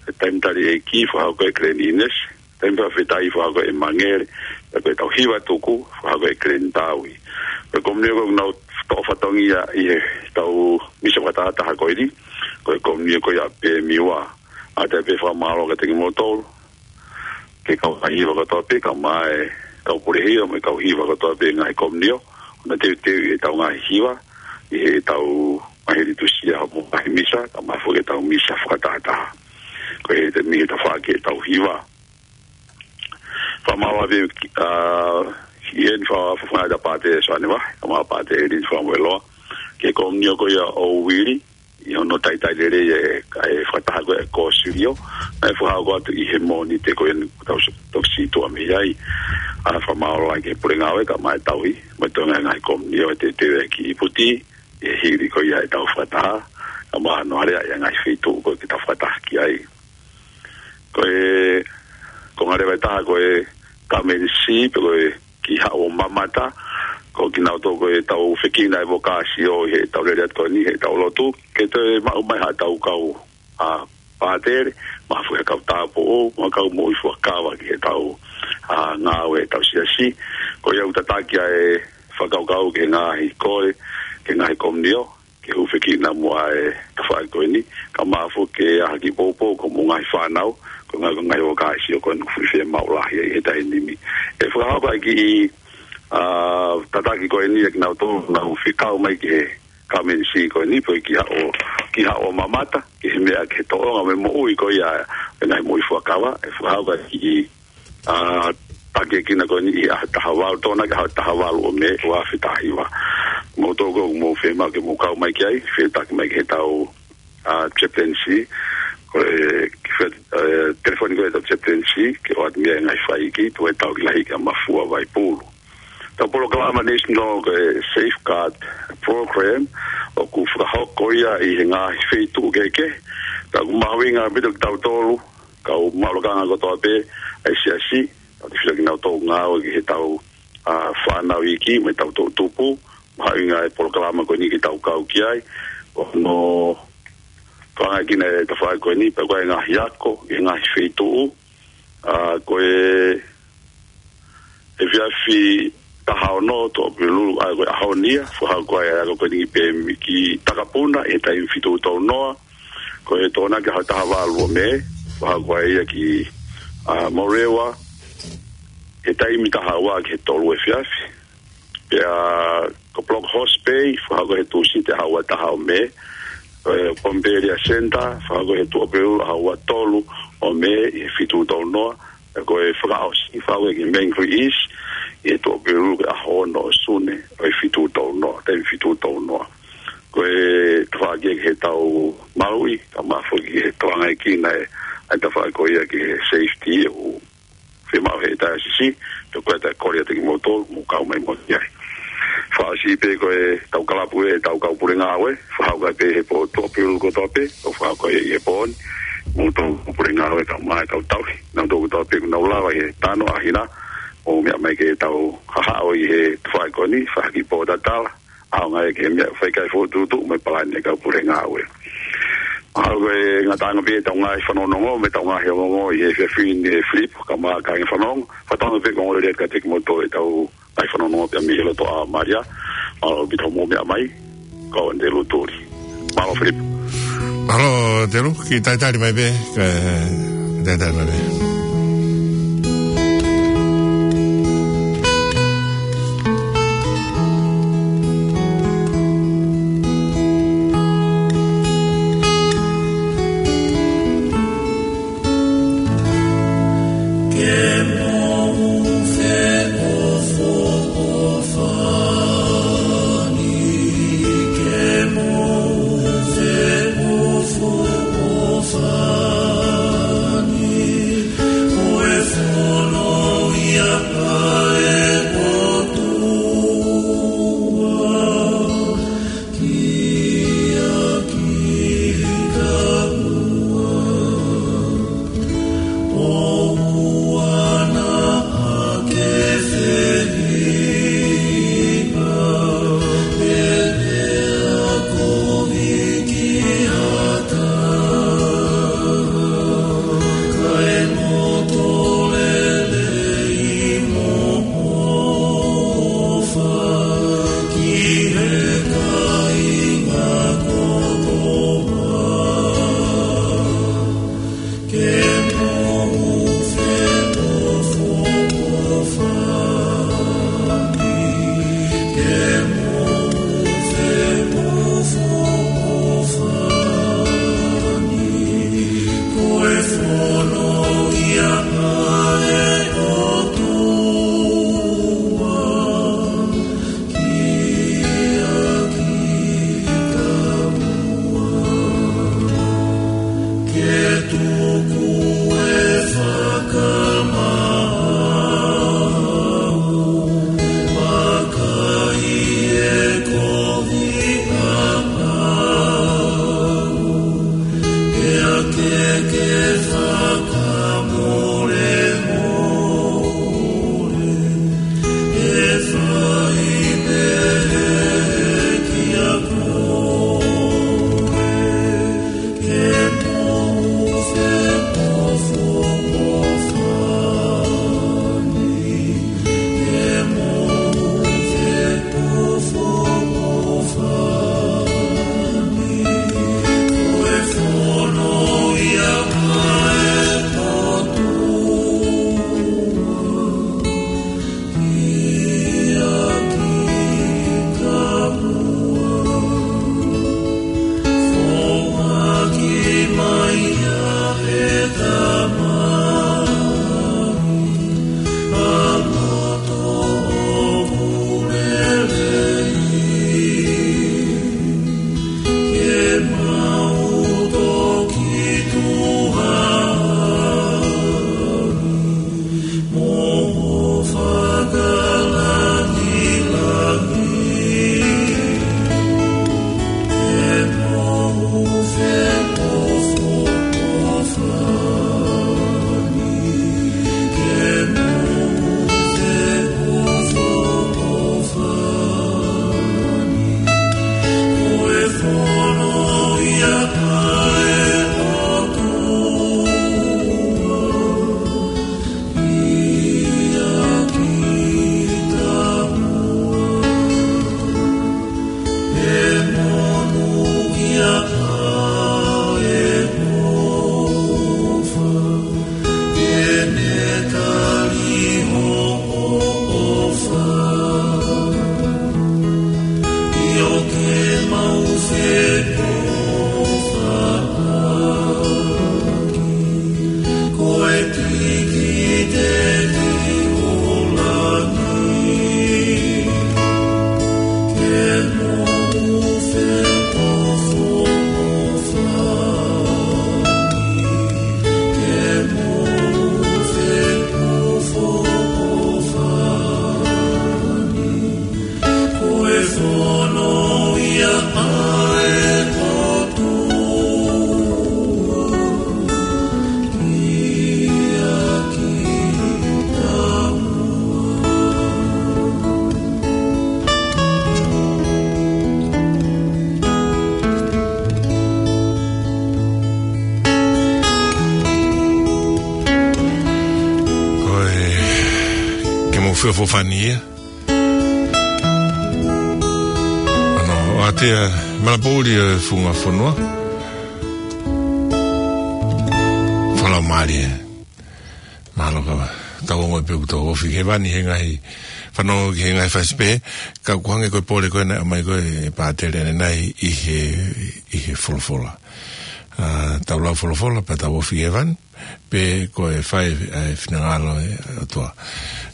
e Taimi Tali ʻEiki, fakahoko ʻe Glenn Innes, Taimi Fakafetaʻi, fakahoko ʻe Mangele, pea ko ʻetau Hiva Tuku, fakahoko ʻe Glenn Taui. Ko e komiunio ko ē ʻoku nau toʻo fatongia ʻi heʻetau misa fakatahataha ko eni, ko e komiunio ko ia ʻa Pēmiua. ʻOatu pē fakamālō kiate kimoutolu, ki he kau hiva kotoa pē, kae ʻumaʻā e kau pule hiva, mo e kau hiva kotoa pē ngaahi komiunio, ʻoku nau teuteu ʻi heʻetau ngaahi hiva, ʻi heʻetau ngaahi litūsia mo e ngaahi misa, kae ʻumaʻā foki ʻetau misa fakatahataha. Ko e taimi ni ʻe tafaʻaki ʻetau hiva. Fakamālō atu, ʻa, ʻi heni fa-, fa-, fakafetaʻi atu Pātele Soane Vahe, kae ʻumaʻā Pātele Lini Fakamoʻeloa, ki he komiunio ko ia ʻo Uili, ʻi hono talitali lelei e, ʻa e fakataha ko ē ʻa e kōsilio, naʻe fakahoko atu ʻi he Mōnite ko eni kuo tau s-, toki sītuʻa mei ai. ʻA, fakamālō lahi ki he pule ngāue kae ʻumaʻā e tauhi, mo e toenga e ngaahi komiunio ʻe teuteu ki ʻIputi, ʻi he hili ko ia ʻetau fakataha, kae ʻumaʻā hono alea ʻi he ngaahi feituʻu ko ē ke tau fakataha ki ai. Ko e, ko e ngaahi leva ʻe taha ko e Come and See, pe ko e Kī Haʻu ʻo Mamata, ko kinautolu ko ē ʻoku tau fekina e vokāsio ʻi heʻetau lele atu ko eni, heʻetau lotu, ke toe maʻu mai haʻatau kau, ʻa, pātele, mo e fuʻu kau tāupoʻou, mo e kau moʻui fuakava ki heʻetau, ʻa, ngāue ʻetau siasi. Ko ia ʻoku tataki ʻa e fakakaukau ki he ngaahi kole, ki he ngaahi komiunio, ke hūfekina muʻa e tafaʻaki ko eni, kae ʻumaʻā foki ke ʻai ha kiʻi poupou ki hoʻomou ngaahi fānau, ko e ngaahi, ko e ngaahi vokāsio ko eni ʻoku fuʻu fiemaʻu lahi ai he taimi ni. ʻE fakahoko ʻa e kiʻi, ʻa, tataki ko eni ʻa kinautolu ʻoku nau fekau mai ki he Come and See ko eni, pe ko e Kī Haʻu, Kī Haʻu ʻo Mamata, ki he meʻa ki he tōʻonga mo e moʻui ko ia e ngaahi moʻui fuakava, ʻe fakahoko ʻa e kiʻi ʻa, takiekina ko eni ʻi he ʻaho taha valu, Tokonaki ʻaho taha valu ʻo Mē, ua afe taha hiva. Mou tō ko ē ʻoku mou fiemaʻu ke mou kau mai ki ai, fetuʻutaki mai ki heʻetau, ʻa, chaplaincy, ko e, ki he, ʻe, telefoni ko ē ʻetau chaplaincy, ke ʻoatu mei ai e ngaahi fai iiki, tuku ʻetau kiʻi lahi ki ʻa Mafua Vaipulu. ʻEtau polokalama National ko e Safeguard Program, ʻoku fakahoko ia ʻi he ngaahi feituʻu kehekehe, ka ʻoku mahuʻinga ʻaupito kiate kitautolu, kau mālokanga kotoa pē ʻa e siasi, ʻoku tefito kinautolu ʻoku ngāue ki heʻetau, ʻa, fānau iiki mo ʻetau toʻutupu, mahuʻinga e polokalama ko eni ke tau kau ki ai, ʻo hono tokangaʻi ʻa e tafaʻaki ko eni, pea ko e ngaahi ako, ʻi he ngaahi feituʻu, ʻa, ko e efiafi taha ono Tuʻapulelulu, ʻa, ko e ʻaho ni ia, fakahoko ai ʻa e ako ko eni pē mei ki Takapuna, ʻi he taimi fitu tolu noa, ko e Tokonaki ʻaho taha valu ʻo Mē, fakahoko ai ia ki, ʻa, Morewa, he taimi taha ua ki he tolu efiafi. Pea ko Block Horse Bay, fakahoko he Tūsite ʻaho ua taha ʻo Mē, ʻe, Pohnpei Area Centre, fakahoko he Tuʻapulelulu ʻaho ua tolu ʻo Mē ʻi he fitu tolu noa, ʻe, ko e fakaʻosi, fakahoko ki Mangere East, ʻi he Tuʻapulelulu ko e ʻaho ono ʻo Sune, ʻo e fitu tolu noa, taimi fitu tolu noa. Ko e tafaʻaki ki heʻetau maluʻi, kae ʻumaʻā foki ki he tokangaʻi ʻa e, ʻa e tafaʻaki ko ia ki he safety, ʻoku fiemaʻu he taha siasi, pea ko e taha kole atu kiate kimoutolu, mou kau mai mo ia. Fakaʻosi pē ko ʻetau kalapu ʻetau kau pule ngāue, fakahoko pē he pō Tuʻapulelulu kotoa pē, ʻoku fakahoko ia he pō ni, mou tau kau pule ngāue kae ʻumaʻā e kau tauhi, nautolu kotoa pē ʻoku nau lava he tano ʻa hina, mou meʻa mai ke tau hahaʻo ʻi he tafaʻaki ko eni, fai ha kiʻi pōtatala, ʻaonga ia ki he meʻa fai ki ai e fokotuʻutuʻu mo e palani ʻa e kau pule ngāue. Mahalo ko e ngataʻanga pē ʻetau ngaahi fanongonongo, mo ʻetau ngaahi ongoongo ʻi he efiafi ni ʻe Filipo, kae ʻumaʻā e kau fanongo, fakatauange pē ko e ongoongolelei kiate kimoutolu ʻetau ngaahi fanongonongo pē mei he loto ʻa Malia, ʻa ʻaupito hoʻomou meʻa mai, ko au Andelu Tuli. Mālō Filipo. Mālō Andelu, kiʻi talitali mai pē, kiʻi talitali mai pē. Ke tuku e fakamaau, vakai e kovi ʻaʻau, pea ke ke fakamolemole, ʻe fai pehē kiate koe. Ko e, ke mou feʻofoʻofani ia. ʻAno, ʻoatu ia, Malapouli e funga fonua. Fakamālō. Mālō ka tau ongoʻi pē ʻoku tau ofi ki hēvani he ngaahi fanongo ki he ngaahi fasi pē, ka ʻoku hangē ko e pole ko ē naʻe ʻomai ko ē ʻe Pātele ʻanenai ʻi he, ʻi he folofola. ʻA, tau lau folofola, pea tau ofi ki hēvani, pe ko e fai, ʻa e finangalo ʻo e ʻOtua.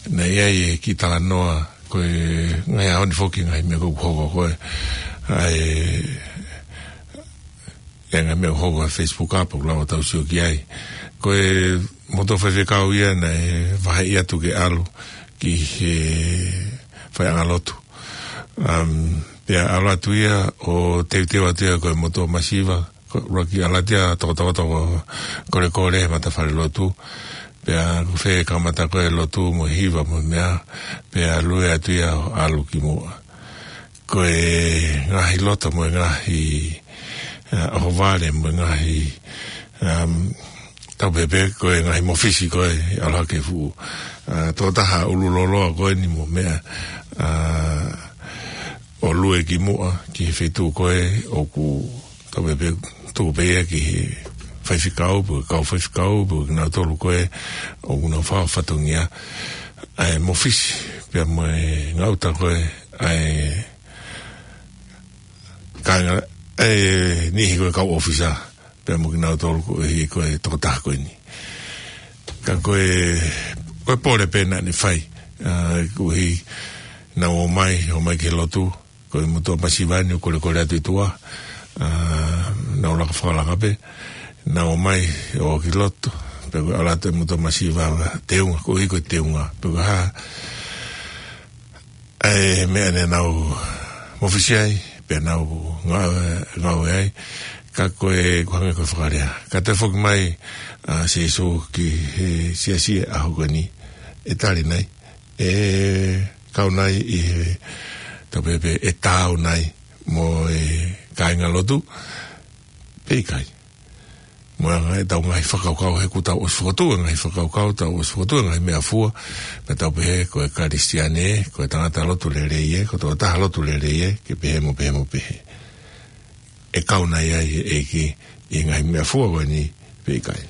Naʻe ʻi ai e kiʻi talanoa, ko e ngaahi ʻaho ni foki ngaahi meʻa ko ē ʻoku hoko ko ē, ʻa e, e ngaahi meʻa ʻoku hoko ʻi he Facebook ʻapo, ʻoku lava ʻo tau sio ki ai. Ko e motuʻa faifekau ia naʻe vaheʻi atu ke ʻalu ki he faiʻanga lotu. Um, pea ʻalu atu ia ʻo teuteu atu ia ko e motuʻa masiva, ko e ʻuluaki ʻalu atu ia tokotoko, kolekole he matafale lotu. Pea ko fē kamata ko ē lotu mo e hiva mo e meʻa, pea lue atu ia ʻo ʻalu ki muʻa. Ko e ngaahi loto mo e ngaahi, ʻa, ʻohovale mo e ngaahi, um, tau pehē pē ko e ngaahi mōfisi ko ē ʻalu hake fuʻu, ʻa, tokotaha ʻulu loloa ko eni mo e meʻa, ʻa, ʻo lue ki muʻa ki he feituʻu ko ē ʻoku tau pehē pē, tuku pē ia ki he faifekau, pe ko e kau faifekau, pe ko kinautolu ko ē ʻoku nau fai fatongia, ʻa e mōfisi, pea mo e ngaahi ʻuta ko ē, ʻa e, kāinga, ʻa e niʻihi ko ē kau ʻōfisa, pea mo kinautolu ko ē, ko e tokotaha ko eni. Ka ko e, ko e pole pē naʻa ne fai, ʻa, koeʻuhi naʻa nau ō mai, ō mai ki he lotu, ko e motuʻa masiva ni ʻoku kolekole atu ʻi tuʻa, ʻa, naʻa nau laka fakalaka pē. Nau ō mai ʻo ʻoki loto, pe ko e ʻalu atu e muto masiva teunga, ko ʻihi ko e teunga, pe ko e hā. ʻA e meʻa naʻa nau mafisi ai, pe nau ngāue, ngāue ai, ka ko e, ko e hangē ko e fakalea. Ka toe foki mai ʻa Sīsū ki he siasi ʻaho ko eni, ʻe tali nai, ʻe kau nai ʻi he, tau pehē pē, ʻe taau nai mo e kāingalotu, pe ʻikai. Mo e ngaahi, tau ngaahi fakakaukau, he kuo tau ʻosi fokotuʻu e ngaahi fakakaukau, tau ʻosi fokotuʻu e ngaahi meʻafua, pea tau pehē ko e Kalisitiane, ko e tangata lotu lelei ē, ko e tokotaha lotu lelei ē, ke pehē mo pehē mo pehē. ʻE kau nai ai e ʻEiki ʻi he ngaahi meʻafua ko eni pe ʻikai.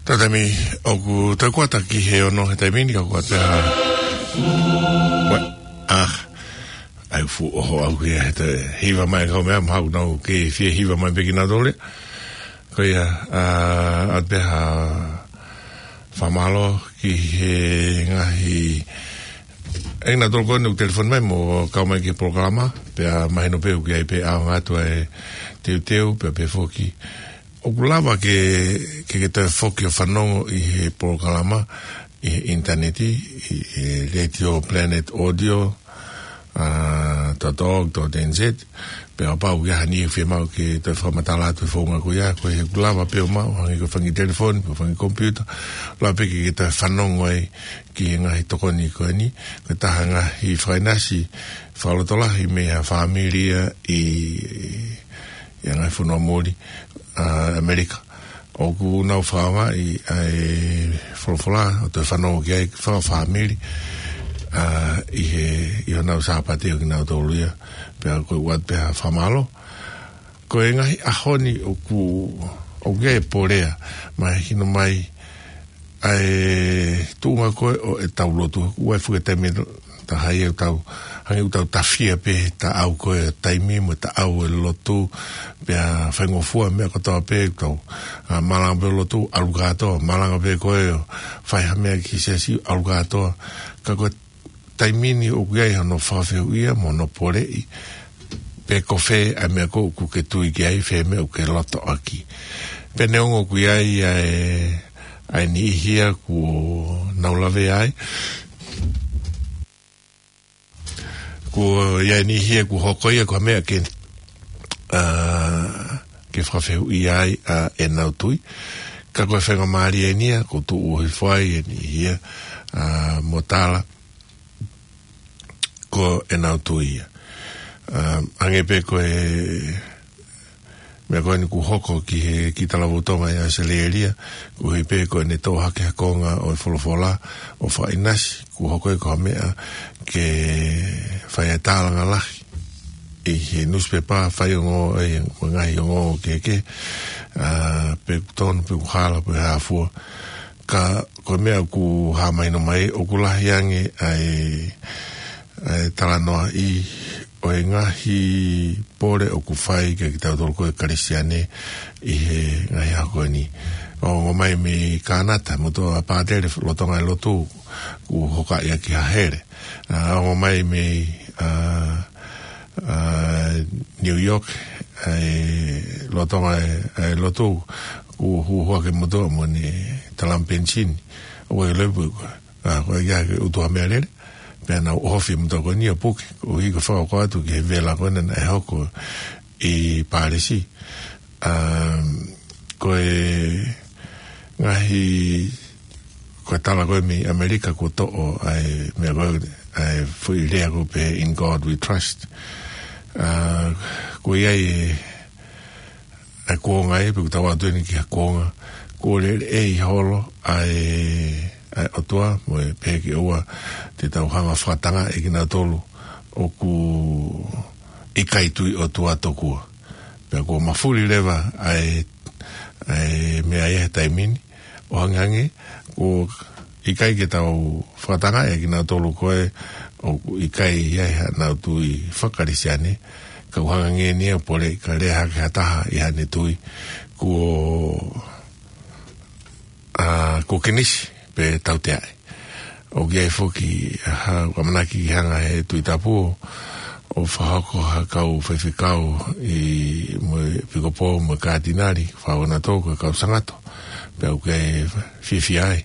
Tatami, ʻoku toe kuata ki he ono he taimi ni, ka kuata. Ua, ah, ai fu oho au ke he te hiva mai kau meʻa, mahalo nau ke fie hiva mai pē kinautolu. Ko ia, ʻa, ʻa te ha fakamālō ki he ngaahi, ʻe kinautolu ko eni ʻoku telefoni mai mo kau mai ki he polokalama, pea mahino pē ʻoku ʻi ai pē ʻaonga atu ʻa e teuteu, pea pehē foki. ʻOku lava ke, ke, ke toe foki ʻo fanongo ʻi he polokalama, ʻi he ʻinitaneti, ʻi he Radio Planet Audio, ʻa, dot org dot N Z, pea kapau ʻoku ʻi ai ha niʻihi ʻoku fiemaʻu ke toe fakamatala atu e founga ko ia, ko e he ʻoku lava pē ʻo maʻu, hangē ko e fanga kiʻi telefoni, ko e fanga kiʻi komipiuta, lava pē ke, ke toe fanongo ai ki he ngaahi tokoni ko eni, ko e taha e ngaahi fakaʻinasi fakalotolahi mei ha fāmili ia ʻi, ʻi he ngaahi fonua muli, ʻa, ʻAmelika. ʻOku nau fakaʻaongaʻi ʻa e folofola, ʻo toe fanongo ki ai, fakafāmili, ʻa, ʻi he, ʻi honau Sāpate ʻo kinautolu ia, pea ko e ʻoatu pē ha fakamālō. Ko e ngaahi ʻaho ni ʻoku, ʻoku ʻi ai e pole ia, mahino mai, ʻa e tuʻunga ko ē ʻo ʻetau lotu. ʻOku ʻi ai e fuʻu taimi ʻe taha ia ʻoku tau, hangē ʻoku tau tafia pē he taʻau ko ē taimi mo e taʻau e lotu, pea faingofua meʻa kotoa pē ʻoku tau, ʻa, malanga pē lotu, ʻalu kātoa, malanga pē ko ē ʻo fai ha meʻa ki he siasi, ʻalu kātoa. Ka ko e taimi ni ʻoku ʻi ai hono fakafehuʻia mo hono poleʻi, pe ko fē ʻa e meʻa ko ē ʻoku ke tui ki ai, fē meʻa ʻoku ke loto ʻaki. Pea neongo ʻoku ʻi ai ʻa e, ʻa e niʻihi ia kuo nau lavea ai, kuo ʻi ai e niʻihi ia kuo hoko ia ko ha meʻa ke, ā, ke fakafehuʻia ai ʻa ʻenau tui. Ka ko e faingamālie eni ia, kuo tuʻu hifo ai e niʻihi ia, ā, mo tala ko ʻenau tui ia. Ā, hangē pē ko e meʻa ko eni kuo hoko ki he kiʻi talavou Tonga ʻi ʻAositelēlia, koeʻuhi pē ko ʻene toʻo hake ha konga ʻo e folofola ʻo fakaʻinasi, kuo hoko ia ko ha meʻa ke fai e tālanga lahi ʻi he nusipepa, faiongoongo, ʻi he ngaahi ongoongo kehekehe, ā, pe ʻoku tonu, pe ʻoku hala, pe hā fua. Ka ko e meʻa ʻoku hā mahino mai, ʻoku lahi ange ʻa e, ʻa e talanoaʻi ʻo e ngaahi pole ʻoku fai kiate kitautolu ko e Kalisitiane ʻi he ngaahi ʻaho ko eni. ʻOku ongo mai mei Kānata, motuʻa pātele, lolotonga e lotu, kuo hokaʻi ʻaki ha hele. Ā, ongo mai mei, ā, ā, New York, ʻa e lolotonga e, e lotu, kuo huhuʻa ke motuʻa mo ʻene talamu penisini. ʻOku ʻikai ke loi pē, ā, ko e ʻikai ke ʻutu ha meʻalele, pea nau ʻohofi e motuʻa ko eni ʻo puke, koeʻuhi ko e fakahoko atu ki he vela ko ena naʻe hoko ʻi Pālisi. Ā, ko e ngaahi, ko e tala ko ē mei ʻAmelika kuo toʻo ʻa e meʻa ko ē, ʻa e foʻi lea ko ē pē In God We Trust. Ā, ko ia e, ʻa e kuonga ē, pe ʻoku tau ʻatu eni ki ha kuonga, kuo lele ʻi holo ʻa e, ʻa e ʻOtua, mo e pehē ke ʻoua te tau hanga ʻo fakatangaʻi kinautolu ʻoku ʻikai tui ʻOtua tokua. Pea kuo mafuli leva ʻa e, ʻa e meʻa ia he taimi ni, ʻo hangehangē, kuo ʻikai ke tau fakatangaʻi kinautolu ko ē ʻoku ʻikai ʻi ai haʻanau tui faka-Kalisitiane, ka ʻoku hangehangē eni ia ʻo pole ka lea hake ha taha ʻi haʻane tui, kuo, ā, kuo kinisi pe tauteaʻi. ʻOku ʻi ai foki ha, ʻoku ʻamanaki ke hanga he Tuʻi Tapu ʻo, ʻo fakahoko ha kau faifekau ʻi, mo e ʻEpikopō mo e Kātinali, fakahoko nautolu ko e kau Sangato. Pea ʻoku ou fiefia ai.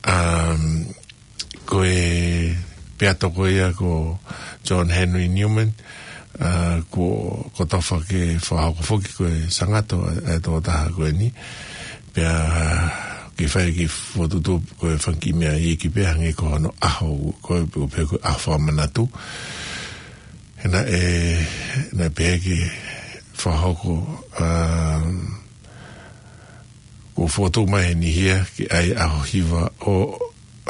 Um, ko e peato ko ia ko John Henry Newman, ā, kuo, kuo tofa ke fakahoko foki ko e Sangato ʻa e, ʻa e tokotaha ko eni. Pea ke fai e kiʻi fokotuʻutuʻu ko e fanga kiʻi meʻa iiki pē hangē ko hono ʻaho, ko e, ko e pehē ko e ʻaho fakamanatu. He naʻe, naʻe pehē ke fakahoko, ā, kuo fokotuʻu mai ʻe he niʻihi ia ke ʻai ʻaho hiva ʻo,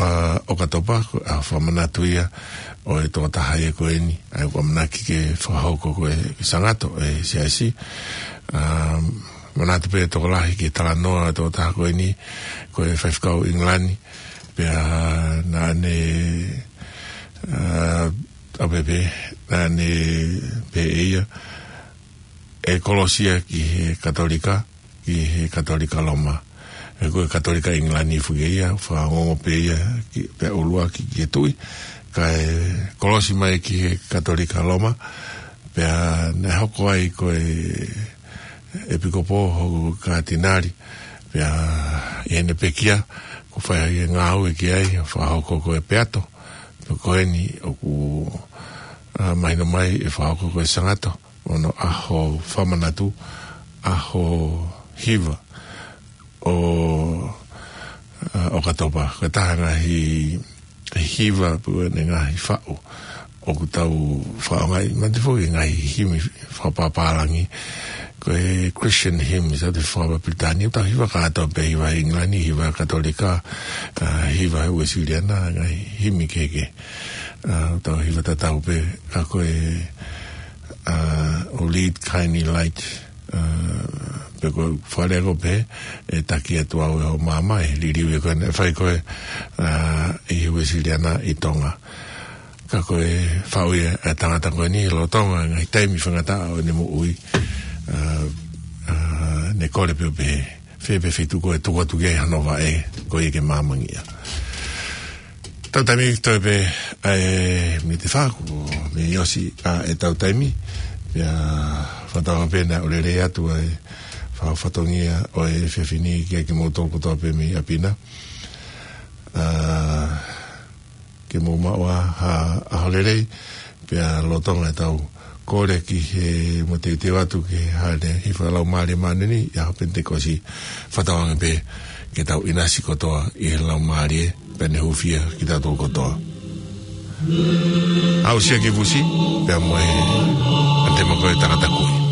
ā, ʻOkatopa, ko e ʻaho fakamanatu ia ʻo e tokotaha ia ko eni, ʻa ia ʻoku ʻamanaki ke fakahoko ko e Sangato ʻa e Siasi. Ā, manatu pē tokolahi ki he talanoa ʻo e tokotaha ko eni, ko e faifekau ʻIngilani, pea naʻa ne, ā, ʻa pē pē, naʻa ne pehē ʻe ia, ʻe kolosi ia ki he Katolika, ki he Katolika Loma. He ko e Katolika ʻIngilani foki ia, fakaongo pē ia ki, pea ʻuluaki ki he tuʻi, kae kolosi mai ki he Katolika Loma, pea naʻe hoko ai ko e ʻEpikopō, hoko ko e Kātinali, pea ʻi heʻene pekia, kuo fai ai e ngāue ki ai, fakahoko ko e peato, pea ko eni ʻoku, ā, mahino mai ʻe fakahoko ko e Sangato, ʻo hono ʻaho fakamanatu, ʻaho hiva ʻo, ā, ʻOkatopa. Ko e taha e ngaahi hiva pe ko e ngaahi faʻu ʻoku tau fakaʻaongaʻi, mahalo foki e ngaahi himi fakapapālangi, ko e Christian hymns ʻa e fakapapālangi, ʻoku tau hiva kātoa pē, hiva ʻIngilani, hiva Katolika, ā, hiva Uēsiliana, ngaahi himi kehekehe. Ā, ʻoku tau hiva tatau pē, ka ko e, ā, O Lead, Kindly Light, ā, pe ko e fakalea ko ē pē, ʻE Taki Atu Au ʻi Hoʻo Maama, ʻe liliu ia ko ē naʻe fai ko ē, ā, ʻi he Uēsiliana ʻi Tonga. Ka ko e faʻu ia ʻa e tangata ko eni lolotonga e ngaahi taimi faingataʻa ʻo ʻene moʻui, ā, ā, ne kole pē ʻo pehē, fē pē feituʻu ko ē ʻe tuku atu ki ai hano vaʻe, ko ia ke māmangia. Tau taimi toe pē ʻa e miniti ʻe fā, kuo mei ʻosi ʻa ʻetau taimi. Pea fakatauange pē naʻa ʻoku lelei atu ʻa e ʻa e fatongia ʻo e efiafi ni kiate kimoutolu kotoa pē mei ʻapi na. ʻA, ke mou maʻu ʻa, ʻa, ʻaho lelei, pea lolotonga ʻetau kole ki he mateuteu atu ki he Hāʻele Hifo ʻa e Laumālie Māʻoniʻoni, ʻi he ʻaho Penitekosi, fakatauange pē ke tau ʻinasi kotoa ʻi he Laumālie, pea ne hūfia kitautolu kotoa. Aʻusia ki he vusi, pea mo e ʻAnitema ko e Tangata Kui.